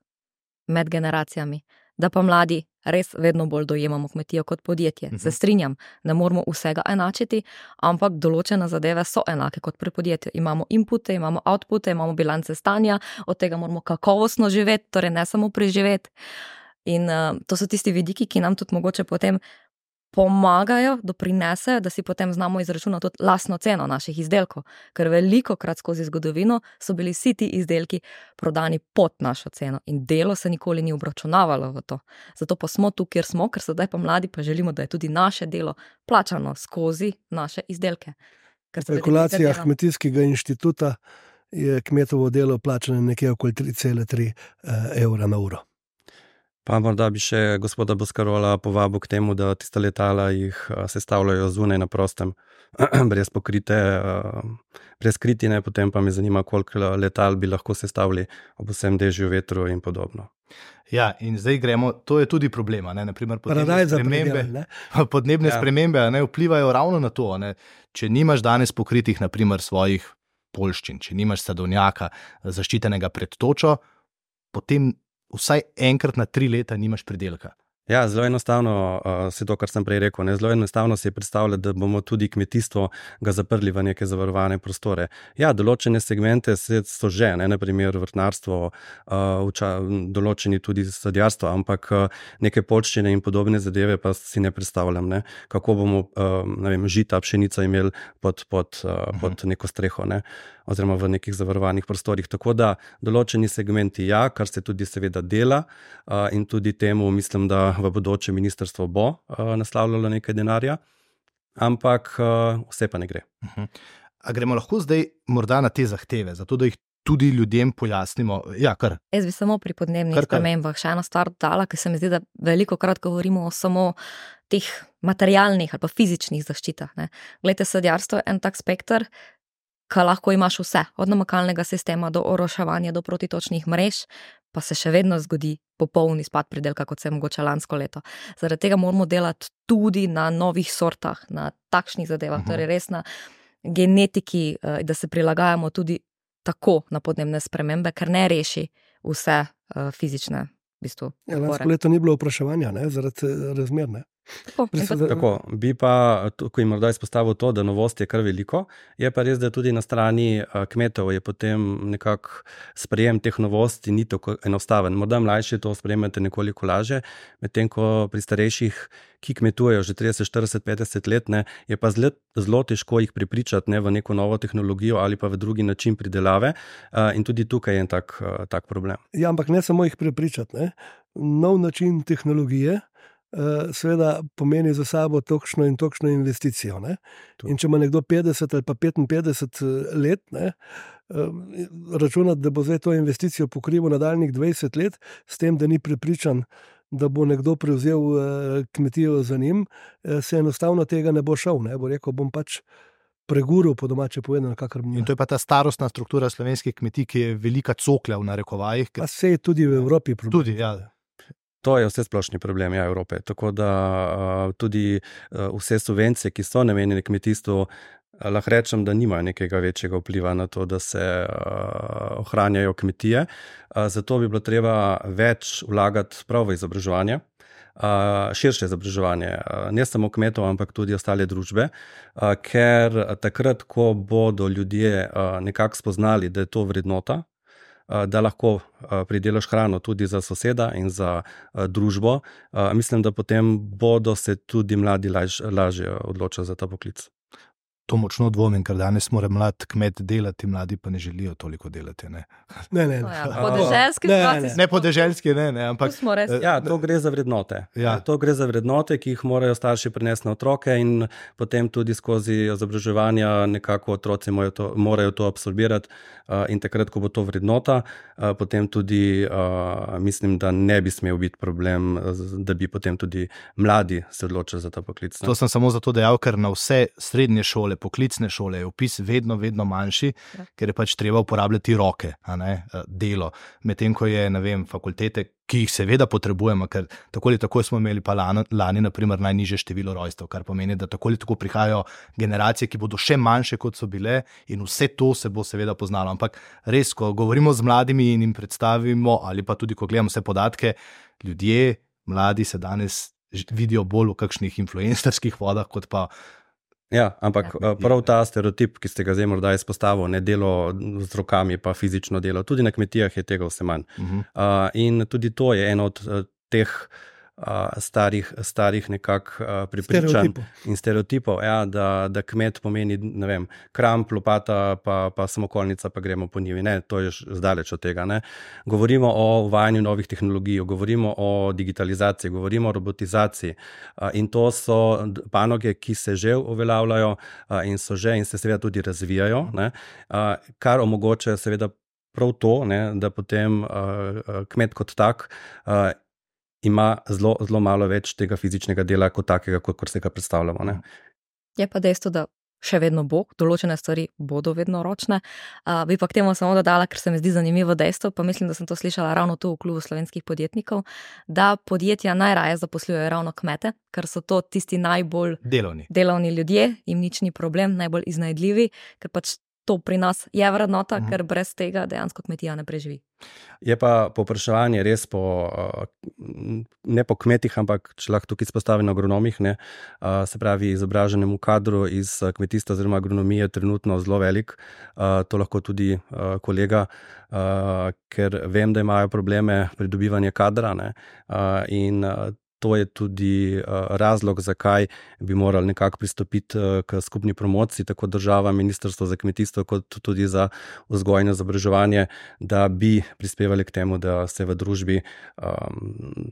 med generacijami, da pa mladi res vedno bolj dojemamo kmetijo kot podjetje. Uh-huh. Se strinjam, ne moramo vsega enačiti, ampak določene zadeve so enake kot pri podjetju. Imamo inpute, imamo outpute, imamo bilance stanja, od tega moramo kakovostno živeti, torej ne samo preživeti. In uh, to so tisti vidiki, ki nam tudi mogoče potem pomagajo, doprinesejo, da si potem znamo izračunati tudi lastno ceno naših izdelkov, ker veliko krat skozi zgodovino so bili vsi ti izdelki prodani pod našo ceno in delo se nikoli ni obračunavalo v to. Zato pa smo tu, kjer smo, ker sedaj pa mladi pa želimo, da je tudi naše delo plačano skozi naše izdelke. V kalkulacijah Kmetijskega inštituta je kmetovo delo plačano nekje okoli tri cele tri evra na uro. Pa morda bi še gospoda Boscarola povabil k temu, da tiste letala jih sestavljajo zunaj na prostem, brez pokrite, brez kritine, potem pa me zanima, koliko letal bi lahko sestavili ob vsem dežju, vetru in podobno. Ja, in zdaj gremo, to je tudi problema, ne, naprimer podnebne spremembe, predel, ne? podnebne ja. spremembe ne, vplivajo ravno na to, ne, če nimaš danes pokritih, naprimer svojih poljščin, če nimaš sadovnjaka zaščitenega pred točo, potem vsaj enkrat na tri leta nimaš pridelka. Ja, zelo enostavno uh, se to, kar sem prej rekel, ne? Zelo enostavno se je predstavljati, da bomo tudi kmetijstvo ga zaprli v neke zavarovane prostore. Ja, določene segmente so že, ne, naprimer vrtnarstvo, uh, uča, določeni tudi sadjarstvo, ampak uh, neke poljščine in podobne zadeve pa si ne predstavljam, ne? Kako bomo uh, ne vem, žita, pšenica imeli pod, pod, uh, uh-huh. pod neko streho, ne? Oziroma v nekih zavarovanih prostorih. Tako da določeni segmenti ja, kar se tudi seveda dela uh, in tudi temu mislim, da v bodoče ministrstvo bo uh, naslavljalo nekaj denarja, ampak uh, vse pa ne gre. Uh-huh. A gremo lahko zdaj morda na te zahteve, zato da jih tudi ljudem pojasnimo? Ja, kar. Jaz bi samo pri podnebnih spremembah še eno stvar dala, ker se mi zdi, da veliko krat govorimo o samo teh materialnih ali pa fizičnih zaščitah. Ne. Glejte, sadjarstvo je en tak spekter, ka lahko imaš vse, od namakalnega sistema do oroševanja, do protitočnih mrež, pa se še vedno zgodi popolni spad pridelka, kot se je mogoče lansko leto. Zaradi tega moramo delati tudi na novih sortah, na takšnih zadevah, uh-huh. torej res na genetiki, da se prilagajamo tudi tako na podnebne spremembe, ker ne reši vse fizične v bistvu. Ja, lansko leto ni bilo vpraševanja, ne, zaradi razmer, ne. Tako, Tako, tako, bi pa, ko jim morda izpostavil to, da novosti je kar veliko, je pa res, da tudi na strani kmetov je potem nekako sprejem teh novosti ni tako enostaven. Morda mlajši to sprejemate nekoliko laže, medtem ko pri starejših, ki kmetujejo že trideset, štirideset, petdeset let, ne, je pa zelo, zelo težko jih prepričati, ne, v neko novo tehnologijo ali pa v drugi način pridelave, in tudi tukaj je en tak, tak problem. Ja, ampak ne samo jih prepričati, ne. Nov način tehnologije seveda pomeni za sabo tokšno in tokšno investicijo. Ne? In če ima nekdo petdeset ali pa petinpetdeset let, ne, računati, da bo zdaj to investicijo pokrival nadaljnjih dvajset let, s tem, da ni prepričan, da bo nekdo prevzel kmetijo za njim, se enostavno tega ne bo šel. Ne? Bo rekel, bom pač preguril, po domače povedano, kakor bom. In to je pa ta starostna struktura slovenskih kmetij, ki je velika cokla v narekovajih. Pa se je tudi v Evropi problem. Tudi, ja. To je vse splošni problem ja, Evrope, tako da uh, tudi uh, vse subvencije, ki so namenjene kmetijstvu, uh, lahko rečem, da nimajo nekega večjega vpliva na to, da se uh, ohranjajo kmetije. Uh, zato bi bilo treba več vlagati prav v izobraževanje, uh, širše izobraževanje, uh, ne samo kmetov, ampak tudi ostale družbe, uh, ker takrat, ko bodo ljudje uh, nekako spoznali, da je to vrednota, da lahko pridelaš hrano tudi za soseda in za družbo, mislim, da potem bodo se tudi mladi laž, lažje odločili za ta poklic. To močno dvomim, ker danes mora mlad kmet delati, mladi pa ne želijo toliko delati. Ne, ne. ne. Ja, podeželski ne, ne, ne. ne podeželski, ne, ne, ampak... Ja, to gre za vrednote. Ja. To gre za vrednote, ki jih morajo starši prinesti na otroke in potem tudi skozi izobraževanja nekako otroci morajo to, morajo to absorbirati in takrat, ko bo to vrednota, potem tudi mislim, da ne bi smel biti problem, da bi potem tudi mladi se odločili za ta poklic. Ne? To sem samo zato dejal, ker na vse srednje šole, poklicne šole je vpis vedno, vedno manjši, ja. Ker je pač treba uporabljati roke, a ne, delo. Medtem, ko je, ne vem, fakultete, ki jih seveda potrebujemo, ker tako ali tako smo imeli pa lani, lani naprimer, najnižje število rojstev, kar pomeni, da tako ali tako prihajajo generacije, ki bodo še manjše, kot so bile in vse to se bo seveda poznalo. Ampak res, ko govorimo z mladimi in jim predstavimo, ali pa tudi, ko gledamo vse podatke, ljudje, mladi se danes vidijo bolj v kakšnih influencerskih vodah, kot pa Ja, ampak prav ta stereotip, ki ste ga zdaj morda izpostavil, ne delo z rokami, pa fizično delo, tudi na kmetijah je tega vse manj. Uh-huh. Uh, in tudi to je eno od uh, teh uh, starih, starih nekak uh, prepričanj stereotipov. in stereotipov, ja, da, da kmet pomeni, ne vem, kramp, lopata, pa, pa samokolnica, pa gremo po njivi. Ne, to je zdaleč od tega. Ne. Govorimo o uvajanju novih tehnologij, govorimo o digitalizaciji, govorimo o robotizaciji uh, in to so panoge, ki se že uveljavljajo uh, in so že in se seveda tudi razvijajo, ne, uh, kar omogočajo seveda prav to, ne, da potem uh, kmet kot tak uh, ima zelo, zelo malo več tega fizičnega dela kot takega, kot, kot se ga predstavljamo. Ne. Je pa dejstvo, da še vedno bo, določene stvari bodo vedno ročne. Uh, bi pa k temu samo dodala, ker se mi zdi zanimivo dejstvo, pa mislim, da sem to slišala ravno tu v klubu slovenskih podjetnikov, da podjetja najraje zaposlujejo ravno kmete, ker so to tisti najbolj delovni, delovni ljudje, jim nič ni problem, najbolj iznajdljivi, ker pač to pri nas je vrednota, uh-huh. ker brez tega dejansko kmetija ne preživi. Je pa povpraševanje res po, ne po kmetih, ampak če lahko tukaj izpostavim na agronomih, ne, se pravi izobraženemu kadru iz kmetijstva oziroma agronomije trenutno zelo velik. To lahko tudi kolega, ker vem, da imajo probleme pridobivanja kadra, ne, in to je tudi razlog, zakaj bi morali nekako pristopiti k skupni promociji, tako država, ministrstvo za kmetijstvo, kot tudi za vzgojo in izobraževanje, da bi prispevali k temu, da se v družbi um,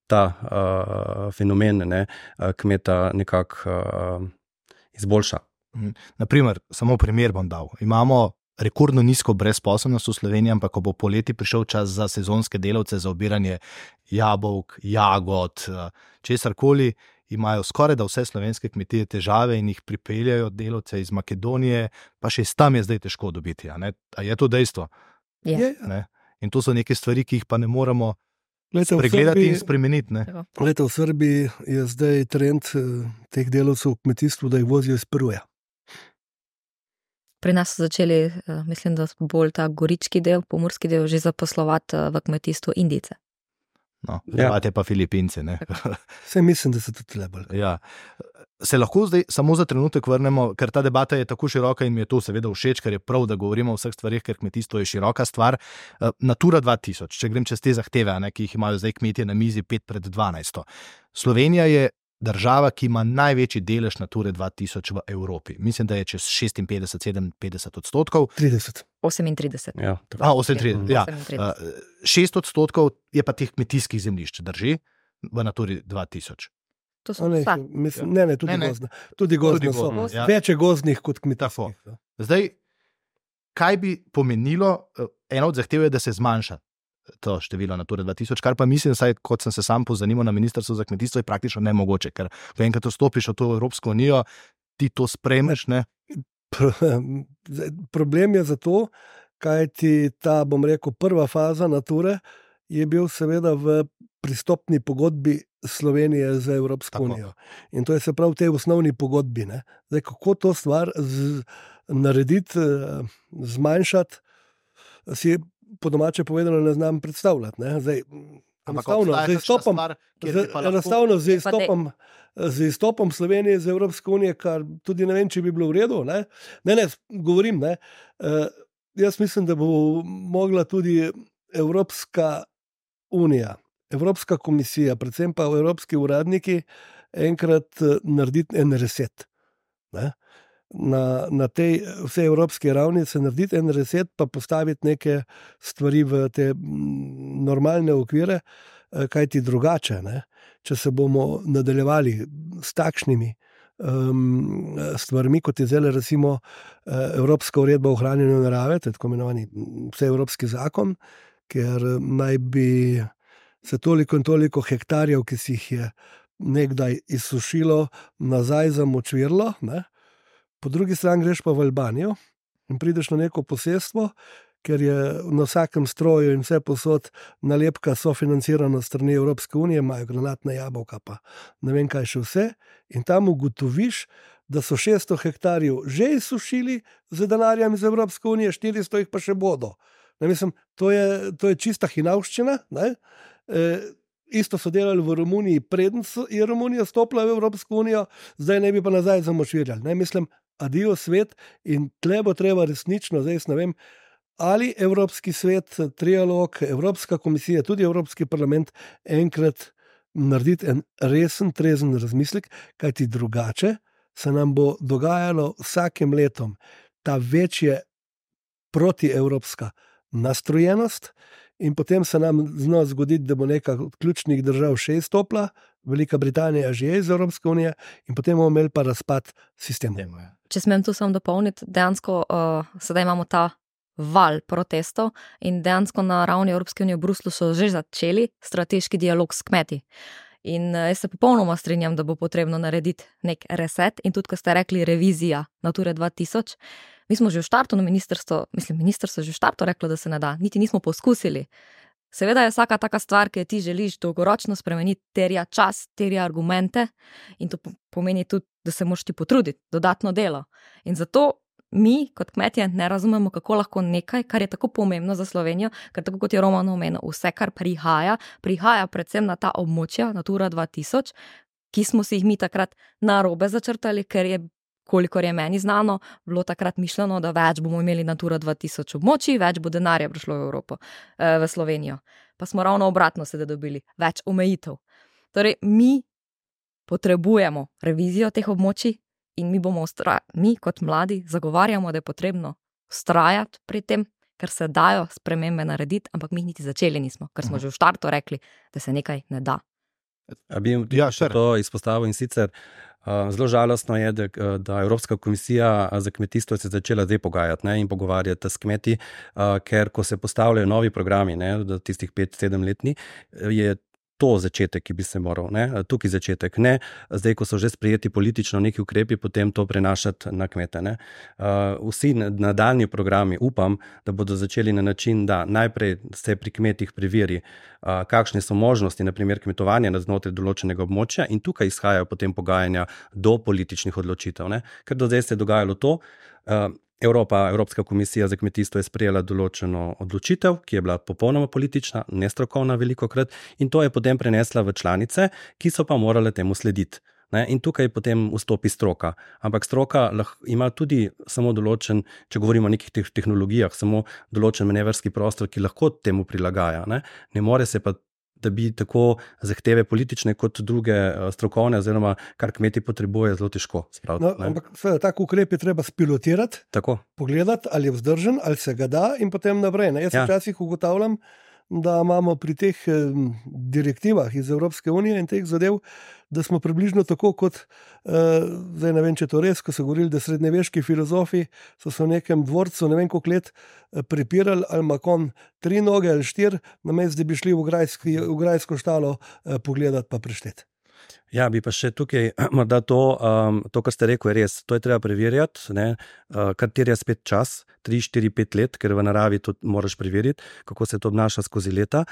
ta uh, fenomen ne, kmeta nekako uh, izboljša. Naprimer, samo primer bom dal. Imamo rekordno nizko brezposelnost v Sloveniji, ampak ko bo poleti prišel čas za sezonske delavce, za obiranje jabolk, jagod, česarkoli, imajo skoraj da vse slovenske kmetije težave in jih pripeljajo delavce iz Makedonije, pa še tam je zdaj težko dobiti. A, a je to dejstvo? Je. Ne? In to so neke stvari, ki jih pa ne moramo Lete, pregledati Srbiji, in spremeniti. Ne? Lete, v Srbiji je zdaj trend teh delavcev v kmetijstvu, da jih vozijo iz Peruja. Pri nas so začeli, mislim, da bolj ta gorički del, pomorski del, že zaposlovati v kmetijstvu Indijce. No, imate ja. pa Filipince, ne? Vse mislim, da se tudi lebali. Ja. Se lahko zdaj samo za trenutek vrnemo, ker ta debata je tako široka in mi je to seveda všeč, ker je prav, da govorimo o vseh stvarih, ker kmetijstvo je široka stvar. Natura dva tisoč, če grem čez te zahteve, ne, ki jih imajo zdaj kmetje na mizi pet pred dvanajsto. Slovenija je država, ki ima največji delež Nature dva tisoč v Evropi. Mislim, da je čez šestinpetdeset, sedeminpetdeset odstotkov. trideset. osemintrideset. Ja, A, osemintrideset, ja. Šest odstotkov je pa teh kmetijskih zemljišč, drži, v Naturi dva tisoč. To so ne, vsa. Mislim, ne, ne, tudi ne, ne. gozdne. Tudi gozdne Tudi so. gozdne, ja. Več je gozdnih kot kmetijskih. Zdaj, kaj bi pomenilo, ena od zahtev je, da se zmanjša to število Nature dva tisoč, kar pa mislim, saj, kot sem se sam pozanimal na Ministrstvu za kmetijstvo, je praktično nemogoče, ker ko enkrat vstopiš v to Evropsko unijo, ti to sprejmeš, ne? Problem je zato, kaj ti ta, bom rekel, prva faza Nature je bil seveda v pristopni pogodbi Slovenije za Evropsko Tako. unijo. In to je se prav v tej osnovni pogodbi. Ne? Zdaj, kako to stvar z, narediti, zmanjšati, si po domače povedano ne znam predstavljati. Ne? Zdaj, enostavno, z izstopom, stvar, z, enostavno z, izstopom, z izstopom Slovenije iz Evropske unije, kar tudi ne vem, če bi bilo v redu. Ne, ne, ne govorim. Ne? Uh, jaz mislim, da bo mogla tudi Evropska unija, Evropska komisija, predvsem pa evropski uradniki, enkrat narediti en reset. Ne? Na, na tej vsej evropski ravni se narediti en reset, pa postaviti neke stvari v te normalne okvire, kajti drugače, ne? Če se bomo nadaljevali s takšnimi um, stvarmi, kot je zdaj recimo Evropska uredba o ohranjanju narave, to je tako imenovani vseevropski zakon, ker naj bi se toliko in toliko hektarjev, ki si jih je nekdaj izsušilo, nazaj zamočvirlo, ne? Po drugi strani greš pa v Albanijo in prideš na neko posestvo, ker je na vsakem stroju in vse posod nalepka sofinancirana strani Evropske unije, imajo granatna jabolka, pa ne vem kaj še vse, in tam ugotoviš, da so šeststo hektarjev že izsušili z denarjem iz Evropske unije, štiristo jih pa še bodo. Ne, mislim, to je, to je čista hinavščina. Ne? E, isto so delali v Romuniji, preden je Romunija stopila v Evropsko unijo, zdaj ne bi pa nazaj zamočvirjali. Ne? Mislim, adijo svet, in tle bo treba resnično, zdaj ne vem, ali Evropski svet, trialog, Evropska komisija, tudi Evropski parlament enkrat narediti en resen, trezen razmislek, kajti drugače se nam bo dogajalo vsakim letom ta večje protievropska nastrojenost, in potem se nam zna zgoditi, da bo neka od ključnih držav še izstopila, Velika Britanija že je iz Evropske unije, in potem bomo imeli pa razpad sistemov. Če smem tu samo dopolniti, dejansko uh, sedaj imamo ta val protestov in dejansko na ravni Evropske unije v Bruslu so že začeli strateški dialog s kmeti. In uh, jaz se popolnoma strinjam, da bo potrebno narediti nek reset, in tudi, ko ste rekli revizija Nature dva tisoč, mi smo že v štartu na ministrstvo, mislim, ministrstvo je že v štartu reklo, da se ne da, niti nismo poskusili. Seveda je vsaka taka stvar, ki ti želiš dolgoročno spremeniti, terja čas, terja argumente, in to pomeni tudi, da se moraš ti potruditi, dodatno delo. In zato mi, kot kmetje, ne razumemo, kako lahko nekaj, kar je tako pomembno za Slovenijo, ker tako kot je Roman omenil, vse, kar prihaja, prihaja predvsem na ta območja, Natura dva tisoč, ki smo si jih mi takrat narobe začrtali, ker je, kolikor je meni znano, bilo takrat mišljeno, da več bomo imeli Natura dva tisoč območij, več bo denarja prišlo v Evropo, v Slovenijo. Pa smo ravno obratno sedaj dobili, več omejitev. Torej, mi potrebujemo revizijo teh območij in mi bomo, ustra... mi kot mladi zagovarjamo, da je potrebno vztrajati pri tem, ker se dajo spremembe narediti, ampak mi niti začeli nismo, ker smo že v štartu rekli, da se nekaj ne da. A bi ja, to izpostavil, in sicer uh, zelo žalostno je, da, da Evropska komisija za kmetijstvo se začela zdaj pogajati, ne, in pogovarjati s kmeti, uh, ker ko se postavljajo novi programi, ne, da tistih pet sedem letni, je to začetek, ki bi se moral, ne, tukaj začetek, ne, zdaj, ko so že sprejeti politično neki ukrepi, potem to prenašati na kmete. Ne. Uh, vsi nadaljni programi, upam, da bodo začeli na način, da najprej se pri kmetih preveri, uh, kakšne so možnosti, na primer kmetovanja na znotraj določenega območja, in tukaj izhajajo potem pogajanja do političnih odločitev. Ne. Ker do zdaj se je dogajalo to, uh, Evropa, Evropska komisija za kmetijstvo je sprejela določeno odločitev, ki je bila popolnoma politična, nestrokovna velikokrat, in to je potem prenesla v članice, ki so pa morale temu slediti. Ne? In tukaj potem vstopi stroka. Ampak stroka lahko ima tudi samo določen, če govorimo o nekih tehnologijah, samo določen manevrski prostor, ki lahko temu prilagaja. Ne, ne more se pa da bi tako zahteve politične kot druge strokovne, oziroma kar kmeti potrebuje, zelo težko spraviti. No, ampak seveda, tak ukrep je treba spilotirati, tako. Pogledati, ali je vzdržen, ali se ga da in potem naprej. Ne? Jaz ja. včasih ugotavljam, da imamo pri teh eh, direktivah iz Evropske unije in teh zadev, da smo približno tako kot, eh, zdaj ne vem, če to res, ko so govorili, da srednjeveški filozofi so se v nekem dvorcu, ne vem koliko let, eh, prepirali, ali ima kon tri noge ali štiri, namesto da bi šli v, grajski, v grajsko štalo eh, pogledati pa prešteti. Ja, bi pa še tukaj, morda to, um, to, kar ste rekel, je res. To je treba preverjati, ne, uh, kar terja spet čas, tri, štiri, pet let, ker v naravi to moraš preveriti, kako se to obnaša skozi leta.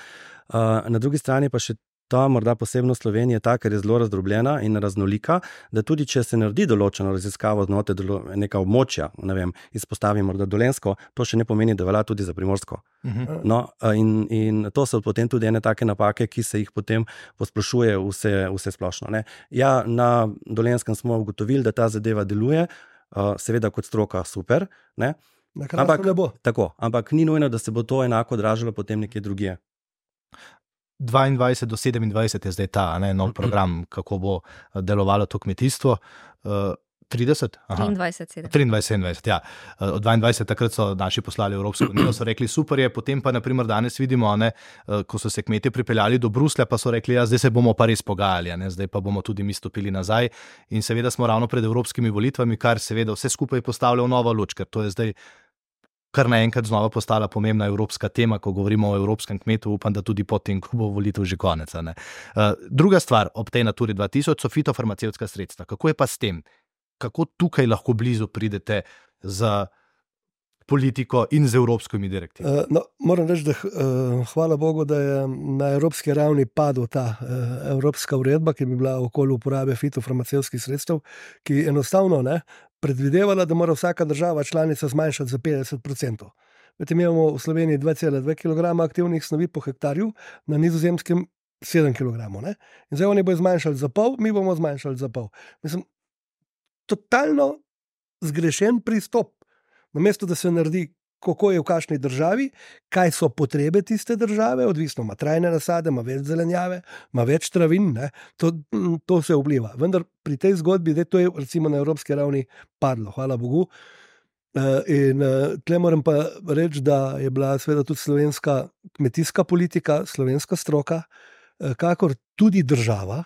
Uh, na drugi strani pa še ta morda posebnost Slovenije je ta, ker je zelo razdrobljena in raznolika, da tudi če se naredi določeno raziskavo znotraj dolo, neka območja, ne vem, izpostavim morda Dolenjsko, to še ne pomeni, da velja tudi za Primorsko. Uh-huh. No, in, in to so potem tudi ene take napake, ki se jih potem posplošuje vse, vse splošno. Ne. Ja, na Dolenjskem smo ugotovili, da ta zadeva deluje, uh, seveda kot stroka super, ne. Ampak, ne bo. Tako, ampak ni nujno, da se bo to enako odražalo potem nekje drugje. dvaindvajset do sedemindvajset je zdaj ta ne, nov program, kako bo delovalo to kmetijstvo. Uh, trideset? triindvajset, sedemindvajset, ja. Od dvaindvajset takrat so naši poslali Evropsko unijo, so rekli super je, potem pa naprimer danes vidimo, ne, ko so se kmetje pripeljali do Bruslja, pa so rekli, ja, zdaj se bomo pa res pogajali, ne, zdaj pa bomo tudi mi stopili nazaj in seveda smo ravno pred evropskimi volitvami, kar seveda vse skupaj postavlja v novo luč, ker to je zdaj kar naenkrat znova postala pomembna evropska tema, ko govorimo o evropskem kmetu, upam, da tudi potem, ko bo volitev že konec. Ne. Uh, druga stvar ob tej Naturi dva tisoč so fitofarmacevtska sredstva. Kako je pa s tem? Kako tukaj lahko blizu pridete z politiko in z evropskimi direktivami? Uh, no, moram reči, da uh, hvala Bogu, da je na evropski ravni padla ta uh, evropska uredba, ki bi bila okoli uporabe fitofarmacevtskih sredstev, ki enostavno ne, predvidevala, da mora vsaka država članica zmanjšati za petdeset procentov. Vete, mi imamo v Sloveniji dva cela dva kilograma aktivnih snovi po hektarju, na Nizozemskem sedem kilogramov. Ne? In zdaj oni bodo zmanjšali za pol, mi bomo zmanjšali za pol. Mislim, totalno zgrešen pristop. Namesto, da se naredi, kako je v kakšni državi, kaj so potrebe tiste države, odvisno, ima trajne nasade, ima več zelenjave, ima več travin, ne? To, to se vpliva. Vendar pri tej zgodbi, da to je recimo na evropski ravni padlo, hvala Bogu. In tle moram pa reči, da je bila seveda tudi slovenska kmetijska politika, slovenska stroka, kakor tudi država,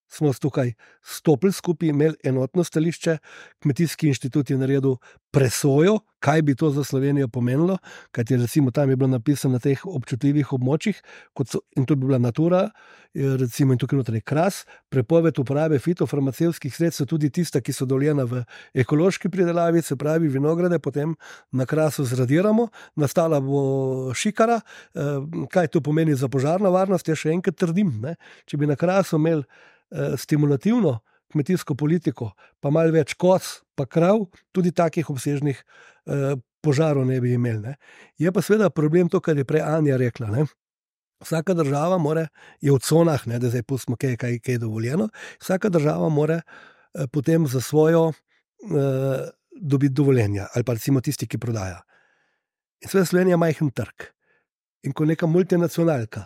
smo tukaj stopili skupaj, imeli enotno stališče, Kmetijski inštitut je naredil presojo, kaj bi to za Slovenijo pomenilo, kajti recimo tam je bilo napisano na teh občutljivih območjih, kot so, in to bi bila Natura, recimo in tukaj noter je Kras, prepoved uporabe fitofarmacevtskih sredstev, tudi tista, ki so dovoljena v ekološki pridelavi, se pravi vinograde, potem na Krasu zradiramo, nastala bo šikara, kaj to pomeni za požarno varnost, jaz še enkrat trdim, ne? Če bi na Krasu imeli stimulativno kmetijsko politiko, pa malo več koz, pa krav, tudi takih obsežnih eh, požarov ne bi imeli. Ne. Je pa seveda problem to, kar je prej Anja rekla. Ne. Vsaka država more, je v conah, ne, da zdaj pustimo, kaj, kaj, kaj je dovoljeno, vsaka država more eh, potem za svojo eh, dobiti dovoljenja, ali pa recimo tisti, ki prodaja. In seveda Slovenija majhen trg. In ko neka multinacionalka,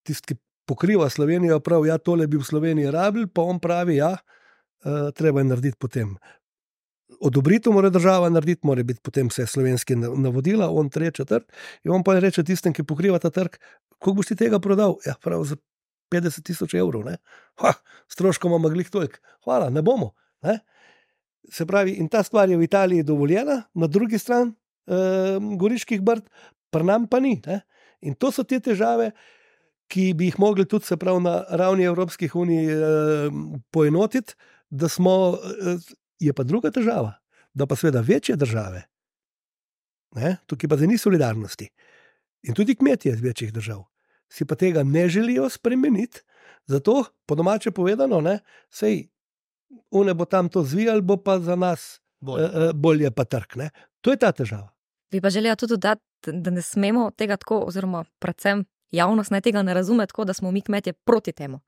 tisti, ki pokriva Slovenijo, prav, ja, tole bi v Sloveniji rabili, pa on pravi, ja, uh, treba je narediti potem. Odobritev mora država narediti, mora biti potem vse slovenske navodila, on treče trg, in on pa reče tistem, ki pokriva ta trg, koliko boš ti tega prodal? Ja, prav, za petdeset tisoč evrov, ne? Ha, stroškom ima glih toliko. Hvala, ne bomo. Ne? Se pravi, in ta stvar je v Italiji dovoljena, na drugi strani uh, Goriških brd, pri nam pa ni. Ne? In to so te težave, ki bi jih mogli tudi se prav na ravni Evropskih unij eh, poenotiti, da smo, eh, je pa druga težava, da pa seveda večje države, ne, tukaj pa da ni solidarnosti in tudi kmetje iz večjih držav, si pa tega ne želijo spremeniti, zato po domače povedano, ne, sej, une bo tam to zvijal, bo pa za nas bolje, eh, bolje pa trg, ne. To je ta težava. Bi pa želela tudi dodati, da ne smemo tega tako, oziroma predvsem javnost naj tega ne razume tako, da smo mi kmetje proti temu.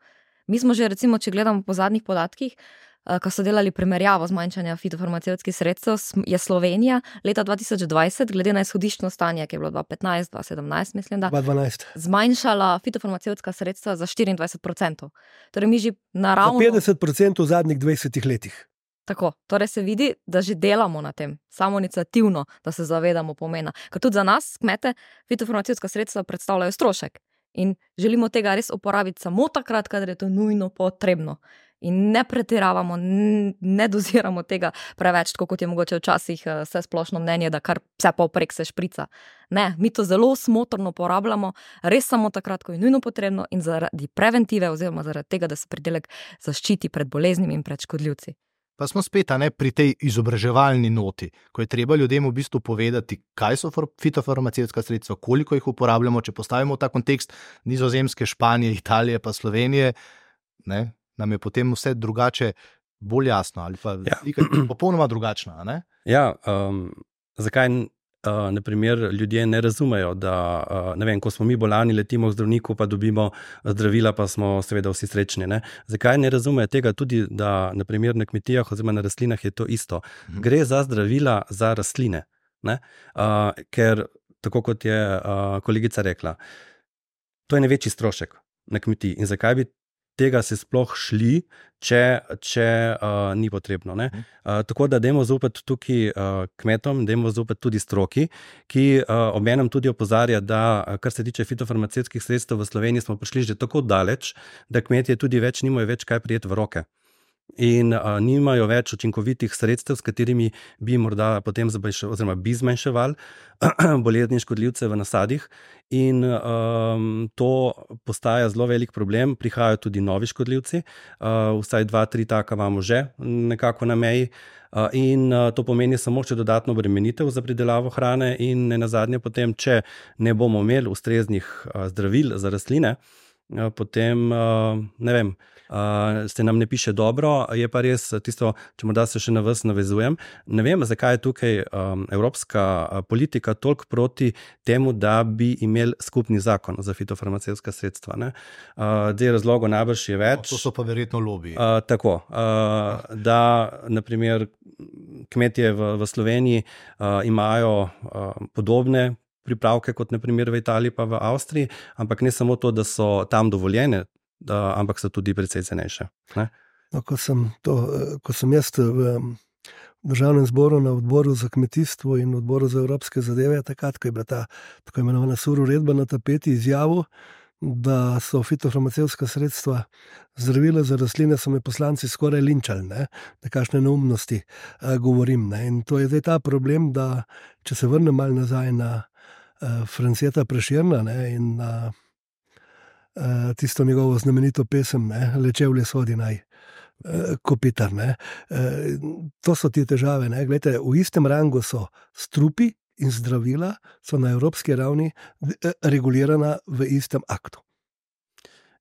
Mi smo že, recimo, če gledamo po zadnjih podatkih, ko so delali primerjavo zmanjšanja fitofarmacevtskih sredstev, je Slovenija leta dva tisoč dvajset, glede na izhodiščno stanje, ki je bilo dva petnajst, dva sedemnajst, mislim, da, dva dvanajst. zmanjšala fitofarmacevtska sredstva za štiriindvajset procentov. Torej mi že naravno... Za petdeset procentov v zadnjih dvajsetih letih. Tako, torej se vidi, da že delamo na tem, samoiniciativno, da se zavedamo pomena. Ker tudi za nas, kmete, fitofarmacevtska sredstva predstavljajo strošek in želimo tega res uporabiti samo takrat, kadar je to nujno potrebno. In ne pretiravamo, ne doziramo tega preveč, tako kot je mogoče včasih vse splošno mnenje, da kar vse povprek se šprica. Ne, mi to zelo smotrno porabljamo, res samo takrat, ko je nujno potrebno in zaradi preventive oziroma zaradi tega, da se pridelek zaščiti pred boleznimi in pred škodljivci. Pa smo spet ne, pri tej izobraževalni noti, ko je treba ljudem v bistvu povedati, kaj so fitofarmacevtska sredstva, koliko jih uporabljamo, če postavimo v ta kontekst Nizozemske, Španije, Italije pa Slovenije, ne, nam je potem vse drugače, bolj jasno ali pa ja. popolnoma drugačna. Ne? Ja, um, zakaj uh, na primer ljudje ne razumejo, da uh, ne vem, ko smo mi bolani, letimo k zdravniku, pa dobimo zdravila, pa smo seveda vsi srečni. Ne? Zakaj ne razumejo tega tudi, da na primer na kmetijah oziroma na rastlinah je to isto. Mhm. Gre za zdravila za rastline, ne? Uh, ker tako kot je uh, kolegica rekla, to je največji strošek na kmetiji in zakaj bi tega se sploh šli, če, če uh, ni potrebno. Ne? Uh, tako da dajmo zaupati tukaj uh, kmetom, dajmo zaupati tudi stroki, ki uh, obenem tudi opozarja, da kar se tiče fitofarmacevtskih sredstev v Sloveniji smo prišli že tako daleč, da kmetje tudi več nimajo več kaj prijeti v roke. In uh, nimajo več učinkovitih sredstev, s katerimi bi morda potem zmanjševali, oziroma bi zmanjševali bolezni in škodljivce v nasadih. In um, to postaja zelo velik problem. Prihajajo tudi novi škodljivci, uh, vsaj dva, tri taka imamo že nekako na meji. Uh, in uh, to pomeni samo še dodatno obremenitev za pridelavo hrane in ne nazadnje potem, če ne bomo imeli ustreznih uh, zdravil za rastline, uh, potem, uh, ne vem, Uh, se nam ne piše dobro, je pa res tisto, če morda se še na vas navezujem. Ne vem, zakaj je tukaj um, evropska politika toliko proti temu, da bi imeli skupni zakon za fitofarmacevtska sredstva. Ne? Uh, zdaj razlogov najbrž je več. No, to so pa verjetno lobiji. Uh, tako, uh, da naprimer kmetje v, v Sloveniji uh, imajo uh, podobne pripravke kot naprimer v Italiji pa v Avstriji, ampak ne samo to, da so tam dovoljene, Da, ampak so tudi precej cenejše. No, ko, sem to, ko sem jaz v državnem zboru na odboru za kmetijstvo in odboru za evropske zadeve, takrat, ko je bila ta tako imenovana sur uredba na tapeti, izjavil, da so fitofarmacevtska sredstva zdravila za rastline, so me poslanci skoraj linčali, ne? Da kakšne neumnosti uh, govorim. Ne? In to je zdaj ta problem, da če se vrnem malo nazaj na uh, Franceta Prešerna, ne? In na Uh, tisto njegovo znamenito pesem, ne, Lečevlje sodi naj, uh, kopitar. Ne. Uh, to so ti težave. Ne. Glejte, v istem rangu so strupi in zdravila, so na evropski ravni uh, regulirana v istem aktu.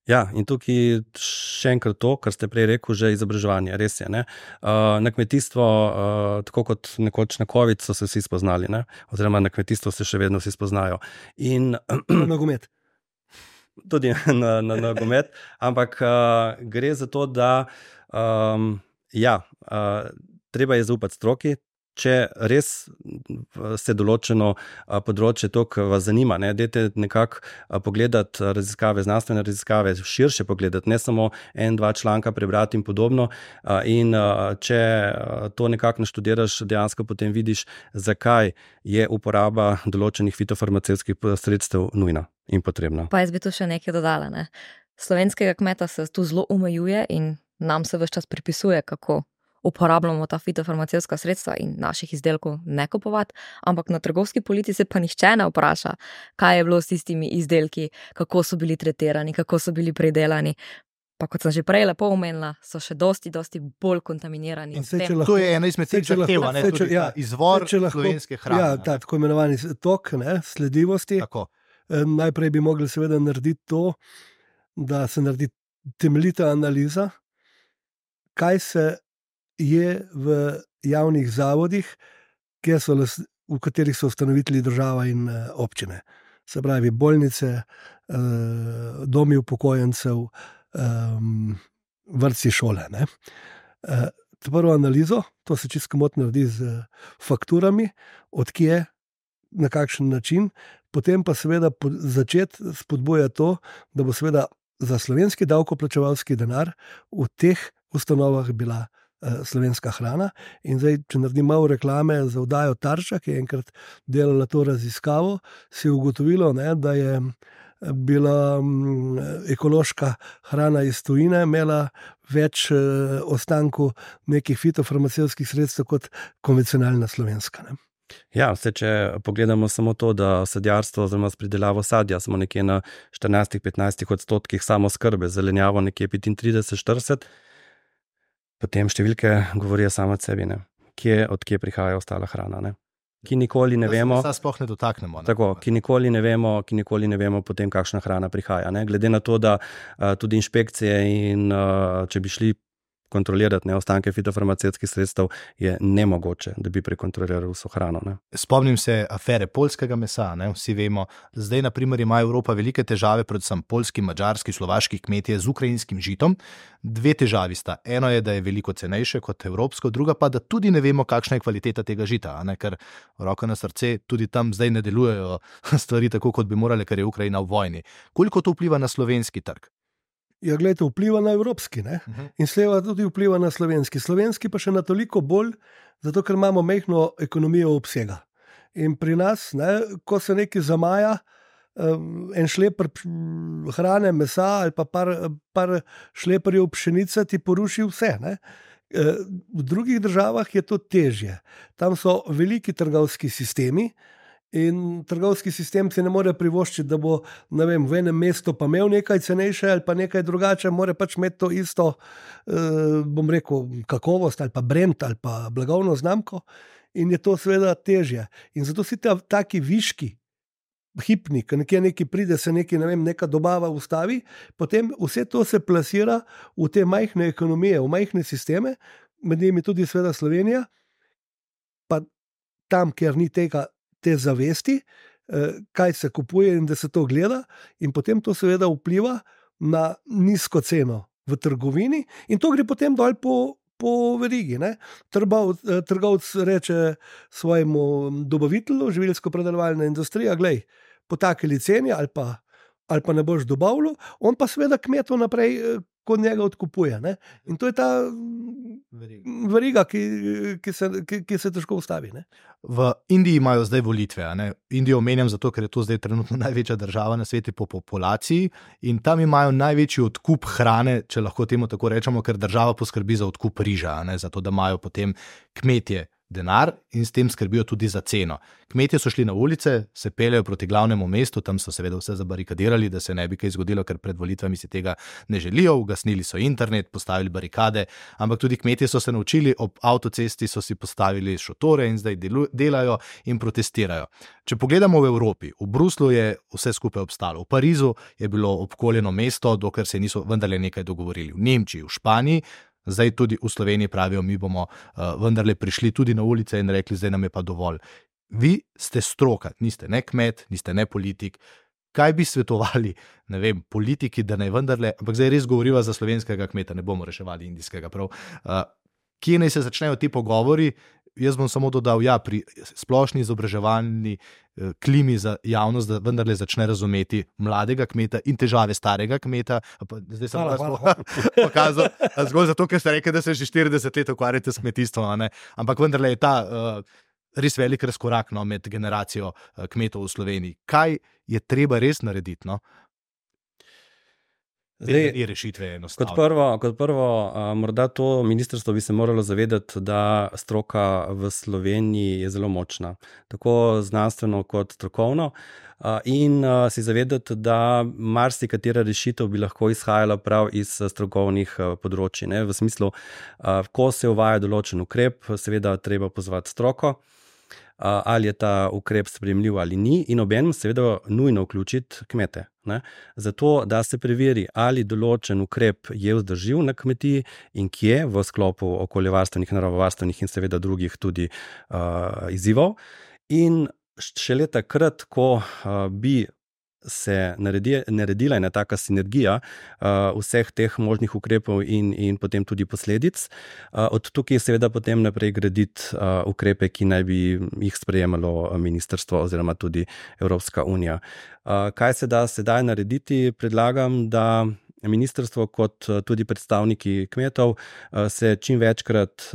Ja, in tukaj še enkrat to, kar ste prej rekel, že izobraževanje, res je. Ne? Uh, na kmetijstvo, uh, tako kot nekoč na COVID, so se vsi spoznali, ne? Oziroma na kmetijstvo se še vedno vsi spoznajo. In nogomet. Tudi na, na nogomet, ampak uh, gre za to, da um, ja, uh, treba je zaupati stroki, če res se določeno uh, področje toliko vas zanima, ne, dajte nekako uh, pogledati raziskave, znanstvene raziskave, širše pogledati, ne samo en, dva članka prebrati in podobno. Uh, in uh, če uh, to nekako naštudiraš, dejansko potem vidiš, zakaj je uporaba določenih fitofarmacevtskih sredstev nujna in potrebna. Pa jaz bi tu še nekaj dodala. Ne? Slovenskega kmeta se tu zelo omejuje in nam se ves čas pripisuje, kako uporabljamo ta fitofarmacevtska sredstva in naših izdelkov ne kupovati, ampak na trgovski polici se pa nihče ne vpraša, kaj je bilo s tistimi izdelki, kako so bili tretirani, kako so bili pridelani. Pa kot sem že prej lepo omenila, so še dosti, dosti bolj kontaminirani. Lahko, to je ena izmed teh zahtev, ne, tudi ja, izvor slovenske hrane. Ja, ta tako imenovani tok, ne, sledljivosti. Tako. Najprej bi mogli seveda narediti to, da se naredi temeljita analiza, kaj se je v javnih zavodih, kjer so v katerih so ustanovitelji država in občine. Se pravi, bolnice, domi upokojencev, vrtci, šole. Ne. Prvo analizo, to se čisto komotno naredi z fakturami, odkje, na kakšen način, potem pa seveda začeti spodbujati to, da bo seveda za slovenski davkoplačevalski denar v teh ustanovah bila slovenska hrana. In zdaj, če naredim malo reklame za oddajo Tarča, ki je enkrat delala to raziskavo, si je ugotovilo, ne, da je bila ekološka hrana iz tujine, imela več ostankov nekih fitofarmacevtskih sredstev kot konvencionalna slovenska. Ne. Ja, vse, če pogledamo samo to, da sadjarstvo oziroma s pridelavo sadja smo nekje na štirinajst do petnajst odstotkih samoskrbe, zelenjavo nekje petintrideset do štirideset, potem številke govorijo samo od sebi, ne. Kje, od kje prihaja ostala hrana, ne. Ki nikoli ne vemo, da se sploh ne dotaknemo. Ne? Tako, ki nikoli ne vemo, ki nikoli ne vemo potem, kakšna hrana prihaja. Ne? Glede na to, da uh, tudi inšpekcije in uh, če bi šli kontrolirati ne, ostanke fitofarmacevtskih sredstev, je nemogoče, da bi prekontrolirali vso hrano. Ne. Spomnim se afere poljskega mesa, ne, vsi vemo. Zdaj, na primer, ima Evropa velike težave, predvsem poljski, madžarski, slovaški kmetje z ukrajinskim žitom. Dve težavi sta. Eno je, da je veliko cenejše kot evropsko, druga pa, da tudi ne vemo, kakšna je kvaliteta tega žita, ne, ker roko na srce tudi tam zdaj ne delujejo stvari tako, kot bi morale, ker je Ukrajina v vojni. Koliko to vpliva na slovenski trg? Ja, gledajte, vpliva na evropski, ne? Uh-huh. In sleva tudi vpliva na slovenski. Slovenski pa še na toliko bolj, zato ker imamo majhno ekonomijo obsega. In pri nas, ne, ko se nekaj zamaja, en šleper hrane, mesa ali pa par, par šleperjev pšenice ti poruši vse. Ne? V drugih državah je to težje. Tam so veliki trgovski sistemi, in trgovski sistem si ne more privoščiti, da bo, ne vem, v enem mestu pa imel nekaj cenejše ali pa nekaj drugače, more pač imeti to isto, eh, bom rekel, kakovost ali pa brand ali pa blagovno znamko, in je to seveda težje. In zato si ta, taki viški, hipni, ko nekje nekaj pride, se nekaj, ne vem, neka dobava ustavi, potem vse to se plasira v te majhne ekonomije, v majhne sisteme, med njimi tudi seveda Slovenija, pa tam, kjer ni tega te zavesti, kaj se kupuje in da se to gleda, in potem to seveda vpliva na nizko ceno v trgovini in to gre potem dol po, po verigi. Ne? Trgovc, trgovc reče svojemu dobavitelju, živilsko-predelovalna industrija, glej, po takeli ceni ali pa, ali pa ne boš dobavljal, on pa seveda kmetov naprej kot njega odkupuje. Ne? In to je ta veriga, ki, ki, se, ki, ki se težko ustavi. Ne? V Indiji imajo zdaj volitve. Ne? Indijo omenjam zato, ker je to zdaj trenutno največja država na svetu po populaciji in tam imajo največji odkup hrane, če lahko temu tako rečemo, ker država poskrbi za odkup riža, ne? Zato da imajo potem kmetje denar in s tem skrbijo tudi za ceno. Kmetje so šli na ulice, se peljejo proti glavnemu mestu, tam so seveda vse zabarikadirali, da se ne bi kaj zgodilo, ker pred volitvami si tega ne želijo, ugasnili so internet, postavili barikade, ampak tudi kmetje so se naučili, ob avtocesti so si postavili šotore in zdaj delajo in protestirajo. Če pogledamo v Evropi, v Bruslu je vse skupaj obstalo, v Parizu je bilo obkoljeno mesto, dokler se niso vendarle nekaj dogovorili, v Nemčiji, v Španiji, zdaj tudi v Sloveniji pravijo, mi bomo uh, vendarle prišli tudi na ulice in rekli, zdaj nam je pa dovolj. Vi ste stroka, niste ne kmet, niste ne politik. Kaj bi svetovali, ne vem, politiki, da naj vendarle, ampak zdaj res govoriva za slovenskega kmeta, ne bomo reševali indijskega prav. Uh, kje naj se začnejo ti pogovori? Jaz bom samo dodal, ja, pri splošni izobraževalni eh, klimi za javnost, da vendarle začne razumeti mladega kmeta in težave starega kmeta. Pa, zdaj sem vas pokazal, zgolj zato, ker ste rekli, da se že štirideset let ukvarjate s kmetijstvom, ne? Ampak vendarle je ta uh, res velik razkorak, no, med generacijo uh, kmetov v Sloveniji. Kaj je treba res narediti, no? Zdaj, kot prvo, kot prvo a, morda to ministrstvo bi se moralo zavedati, da stroka v Sloveniji je zelo močna, tako znanstveno kot strokovno, a, in a, si zavedati, da marsikatera rešitev bi lahko izhajala prav iz strokovnih a, področji, ne? V smislu, a, ko se uvaja določen ukrep, seveda treba pozvati stroko, a, ali je ta ukrep sprejemljiv ali ni, in obenem seveda nujno vključiti kmete. Ne? Zato, da se preveri, ali določen ukrep je vzdržljiv na kmetiji in kje v sklopu okoljevarstvenih, naravovarstvenih in seveda drugih tudi uh, izzivov. In šele takrat, ko uh, bi se naredi, naredila ena taka sinergija uh, vseh teh možnih ukrepov in, in potem tudi posledic, uh, od tukaj seveda potem naprej graditi uh, ukrepe, ki naj bi jih sprejemalo ministrstvo oziroma tudi Evropska unija. Uh, kaj se da sedaj narediti? Predlagam, da ministrstvo kot tudi predstavniki kmetov se čim večkrat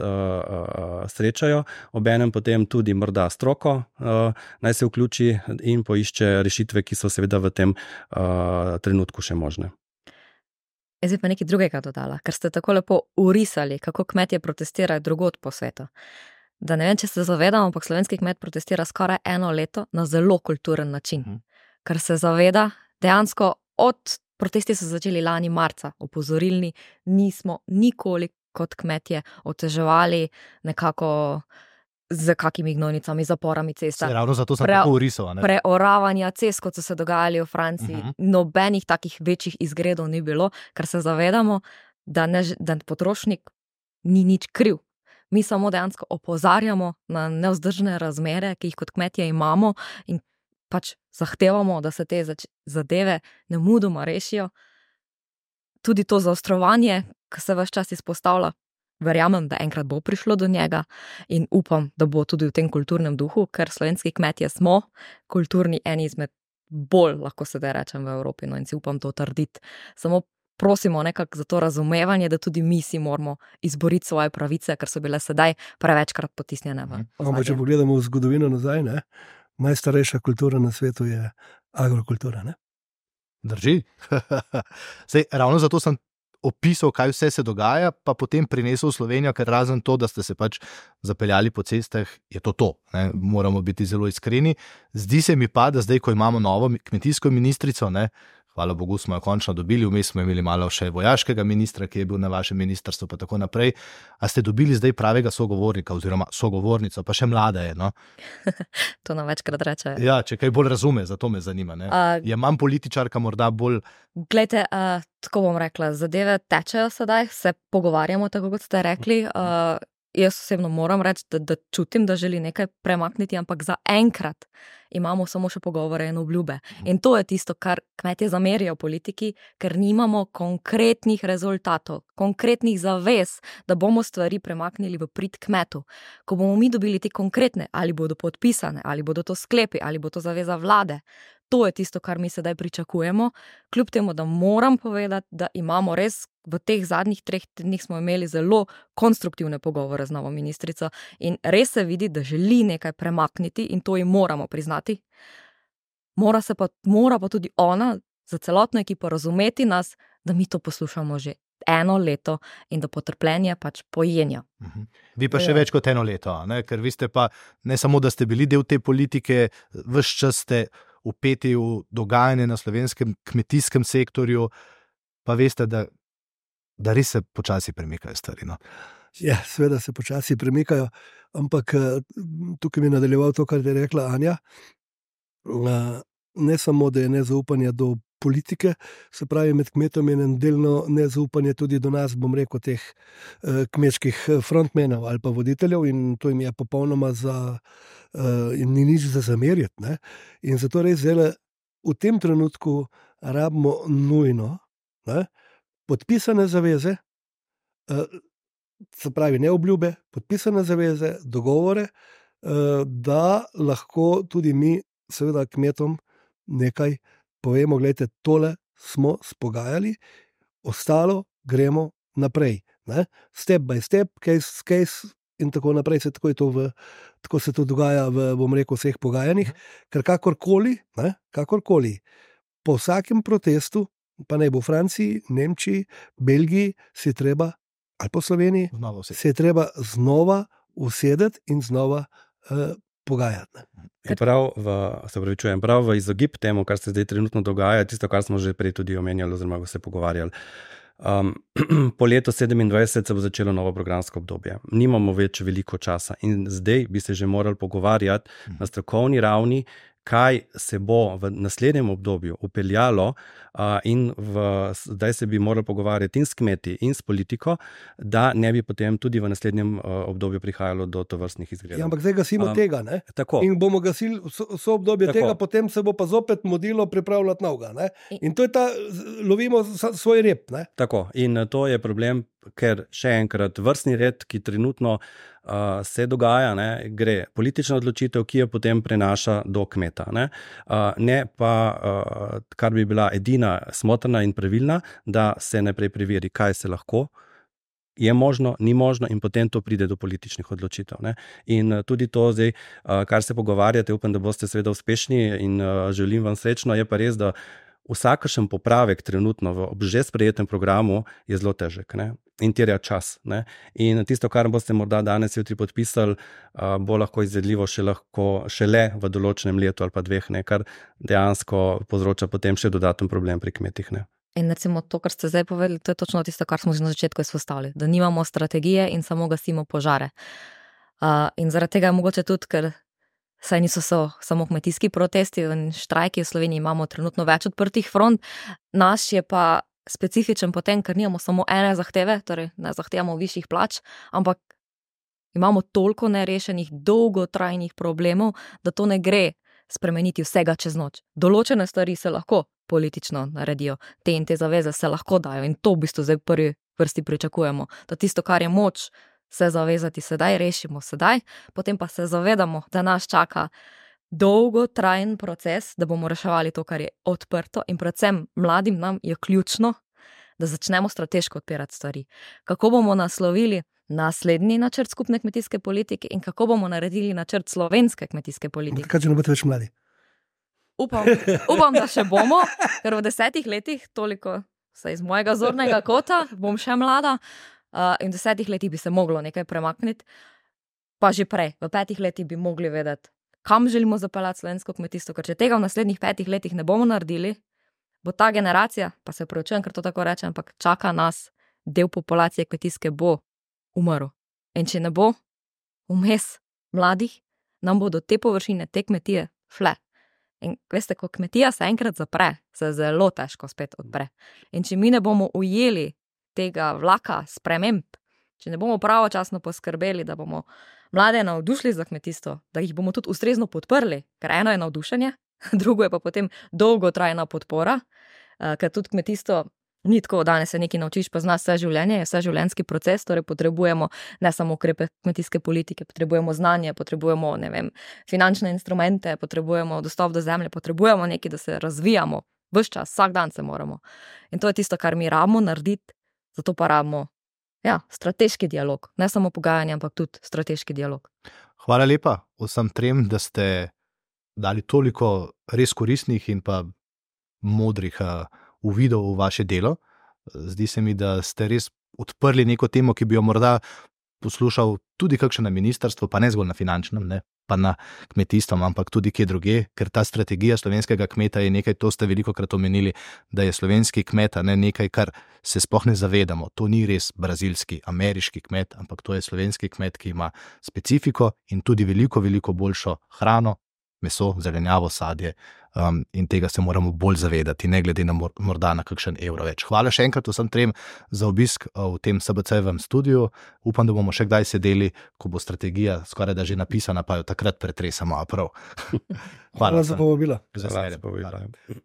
srečajo, obenem potem tudi morda stroko naj se vključi in poišče rešitve, ki so seveda v tem trenutku še možne. Jaz bi pa nekaj drugega dodala, ker ste tako lepo urisali, kako kmetje protestirajo drugod po svetu. Da ne vem, če se zavedamo, ampak slovenski kmet protestira skoraj eno leto na zelo kulturen način, hmm. ker se zaveda dejansko od protesti so začeli lani marca, opozorilni, nismo nikoli kot kmetje oteževali nekako z kakimi gnojnicami, zaporami cesta. Se, ravno zato sem Pre, tako urisal. Ne? Preoravanja cest, kot so se dogajali v Franciji, uh-huh. nobenih takih večjih izgredov ni bilo, ker se zavedamo, da, ne, da potrošnik ni nič kriv. Mi samo dejansko opozarjamo na nevzdržne razmere, ki jih kot kmetje imamo in pač zahtevamo, da se te zadeve nemudoma rešijo. Tudi to zaostrovanje, ki se ves čas izpostavlja, verjamem, da enkrat bo prišlo do njega in upam, da bo tudi v tem kulturnem duhu, ker slovenski kmetje smo kulturni eni izmed bolj, lahko se da rečem, v Evropi, no in si upam to trditi. Samo prosimo nekako za to razumevanje, da tudi mi si moramo izboriti svoje pravice, ker so bile sedaj prevečkrat potisnjene v ozadje. Če pogledamo v zgodovino nazaj, ne? Najstarejša kultura na svetu je agrokultura, ne? Drži. Sej, ravno zato sem opisal, kaj vse se dogaja, pa potem prinesel v Slovenijo, ker razen to, da ste se pač zapeljali po cestah, je to to. Ne? Moramo biti zelo iskreni. Zdi se mi pa, da zdaj, ko imamo novo kmetijsko ministrico, ne, hvala Bogu smo jo končno dobili, vmes smo imeli malo še vojaškega ministra, ki je bil na vašem ministrstvu, pa tako naprej. A ste dobili zdaj pravega sogovornika oziroma sogovornico, pa še mlada je, no? To nam večkrat reče. Ja, če kaj bolj razume, zato me zanima, ne? Uh, je manj političarka morda bolj... Glejte, uh, tako bom rekla, zadeve tečejo sedaj, se pogovarjamo, tako kot ste rekli. Uh, jaz osebno moram reči, da, da čutim, da želi nekaj premakniti, ampak za enkrat imamo samo še pogovore in obljube. In to je tisto, kar kmetje zamerijo politiki, ker nimamo konkretnih rezultatov, konkretnih zavez, da bomo stvari premaknili v prid kmetu. Ko bomo mi dobili te konkretne, ali bodo podpisane, ali bodo to sklepi, ali bo to zaveza vlade, to je tisto, kar mi sedaj pričakujemo, kljub temu, da moram povedati, da imamo res v teh zadnjih treh tednih smo imeli zelo konstruktivne pogovore z novo ministrico in res se vidi, da želi nekaj premakniti in to ji moramo priznati. Mora, se pa, mora pa tudi ona za celotno ekipo razumeti nas, da mi to poslušamo že eno leto in da potrpljenje pač pojenja. Uh-huh. Vi pa še ja. več kot eno leto, ne? Ker vi ste pa ne samo, da ste bili del te politike, ves čas ste vpeti v dogajanje na slovenskem kmetijskem sektorju, pa veste, da, da res se počasi premikajo stvari. No? Ja, seveda se počasi premikajo, ampak tukaj mi je nadaljeval to, kar je rekla Anja. Ne samo, da je nezaupanje do politike, se pravi med kmetom je delno nezaupanje tudi do nas, bom rekel, teh kmečkih frontmenov ali pa voditeljev in to jim je popolnoma za, in ni nič za zamerjati. Ne? In zato res zdaj v tem trenutku rabimo nujno, ne? Podpisane zaveze, se pravi ne obljube, podpisane zaveze, dogovore, da lahko tudi mi seveda kmetom nekaj povemo, gledajte, tole smo spogajali, ostalo gremo naprej. Ne? Step by step, case, case in tako naprej, se tako, je to v, tako se to dogaja v, bom rekel, vseh pogajanjih, ker kakorkoli, ne, kakorkoli, po vsakem protestu, pa naj bo v Franciji, Nemčiji, Belgiji, se je treba, ali po Sloveniji, se je treba znova usedeti in znova uh, pogajati. Prav v, se pravičujem, prav v izogib temu, kar se zdaj trenutno dogaja, tisto, kar smo že prej tudi omenjali oziroma se pogovarjali. Um, po letu sedemindvajset se bo začelo novo programsko obdobje. Nimamo več veliko časa in zdaj bi se že morali pogovarjati na strokovni ravni, kaj se bo v naslednjem obdobju upeljalo uh, in v, zdaj se bi morali pogovarjati in s kmeti in s politiko, da ne bi potem tudi v naslednjem uh, obdobju prihajalo do tovrstnih izgredov. Ja, ampak zdaj gasimo um, tega, ne? Tako. In bomo gasili vso, vso obdobje tako. Tega, potem se bo pa zopet modilo pripravljati novega, ne? In to je ta, lovimo svoj rep, ne? Tako, in to je problem, ker še enkrat vrstni red, ki trenutno uh, se dogaja, ne, gre politična odločitev, ki jo potem prenaša do kmeta. Ne, uh, ne pa, uh, kar bi bila edina smotrna in pravilna, da se najprej preveri, kaj se lahko, je možno, ni možno in potem to pride do političnih odločitev. Ne. In uh, tudi to zdaj, uh, kar se pogovarjate, upam, da boste seveda uspešni in uh, želim vam srečno, je pa res, da vsakršen popravek trenutno v že sprejetem programu je zelo težek, ne? In terja čas. Ne? In tisto, kar boste morda danes jutri podpisali, bo lahko izvedljivo še lahko, šele v določenem letu ali pa dveh, ne? Kar dejansko povzroča potem še dodaten problem pri kmetih. Ne? In recimo to, kar ste zdaj povedali, to je točno tisto, kar smo že na začetku izpostavili, da nimamo strategije in samo gasimo požare. Uh, in zaradi tega je mogoče tudi, ker saj niso so samo kmetijski protesti in štrajki, v Sloveniji imamo trenutno več odprtih front. Naš je pa specifičen potem, ker nimamo samo ene zahteve, torej ne zahtevamo višjih plač, ampak imamo toliko nerešenih, dolgotrajnih problemov, da to ne gre spremeniti vsega čez noč. Določene stvari se lahko politično naredijo, te in te zaveze se lahko dajo in to v bistvu zdaj v prvi vrsti pričakujemo, da tisto, kar je moč se zavezati sedaj, rešimo sedaj, potem pa se zavedamo, da nas čaka dolgotrajen proces, da bomo reševali to, kar je odprto in predvsem mladim nam je ključno, da začnemo strateško odpirati stvari. Kako bomo naslovili naslednji načrt skupne kmetijske politike in kako bomo naredili načrt slovenske kmetijske politike. Kaj, če ne boste več mladi? Upam, upam, da še bomo, ker v desetih letih, toliko se iz mojega zornega kota, bom še mlada, Uh, in v desetih letih bi se moglo nekaj premakniti, pa že prej, v petih letih bi mogli vedeti, kam želimo zapeljati slovensko kmetijstvo, ker če tega v naslednjih petih letih ne bomo naredili, bo ta generacija, pa se opravičujem, ker to tako rečem, ampak čaka nas, del populacije kmetijske bo umrl. In če ne bo vmes mladih, nam bodo te površine, te kmetije šle. In veste, ko kmetija se enkrat zapre, se zelo težko spet odpre. In če mi ne bomo ujeli tega vlaka sprememb, če ne bomo pravočasno poskrbeli, da bomo mlade navdušili za kmetijstvo, da jih bomo tudi ustrezno podprli, ker eno je navdušenje, drugo je pa potem dolgotrajna podpora, ker tudi kmetijstvo ni tako, danes se nekaj naučiš, pa znaš vse življenje, je vse življenjski proces, torej potrebujemo ne samo ukrepe kmetijske politike, potrebujemo znanje, potrebujemo, ne vem, finančne instrumente, potrebujemo dostop do zemlje, potrebujemo nekaj, da se razvijamo, ves čas, vsak dan se moramo. In to je tisto, kar mi rabimo narediti. Zato pa rabimo ja, strateški dialog, ne samo pogajanje, ampak tudi strateški dialog. Hvala lepa vsem trem, da ste dali toliko res koristnih in pa modrih uh, uvidov v vaše delo. Zdi se mi, da ste res odprli neko temo, ki bi jo morda poslušal tudi kakšen na ministrstvu, pa ne zgolj na finančnem, ne, pa na kmetijstvom, ampak tudi kje druge, ker ta strategija slovenskega kmeta je nekaj, to ste velikokrat omenili, da je slovenski kmet, ne nekaj, kar se sploh ne zavedamo. To ni res brazilski, ameriški kmet, ampak to je slovenski kmet, ki ima specifiko in tudi veliko, veliko boljšo hrano, meso, zelenjavo, sadje um, in tega se moramo bolj zavedati, ne glede na mor- morda na kakšen evro več. Hvala še enkrat vsem trem za obisk v tem S B C-jevem studiu. Upam, da bomo še kdaj sedeli, ko bo strategija skoraj da že napisana, pa jo takrat pretresamo. Prav. Hvala, hvala za povabilo.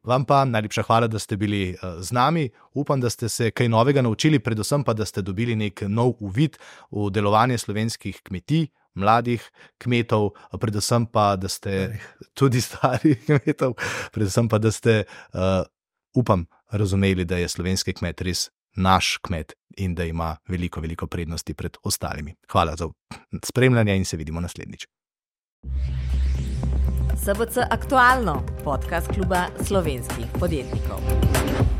Vam pa najlepša hvala, da ste bili uh, z nami. Upam, da ste se kaj novega naučili, predvsem pa, da ste dobili nek nov uvid v delovanje slovenskih kmetij, mladih kmetov, predvsem pa, da ste tudi starih kmetov, predvsem pa, da ste, uh, upam, razumeli, da je slovenski kmet res naš kmet in da ima veliko, veliko prednosti pred ostalimi. Hvala za spremljanje in se vidimo naslednjič. S B C Aktualno, podcast kluba slovenskih podjetnikov.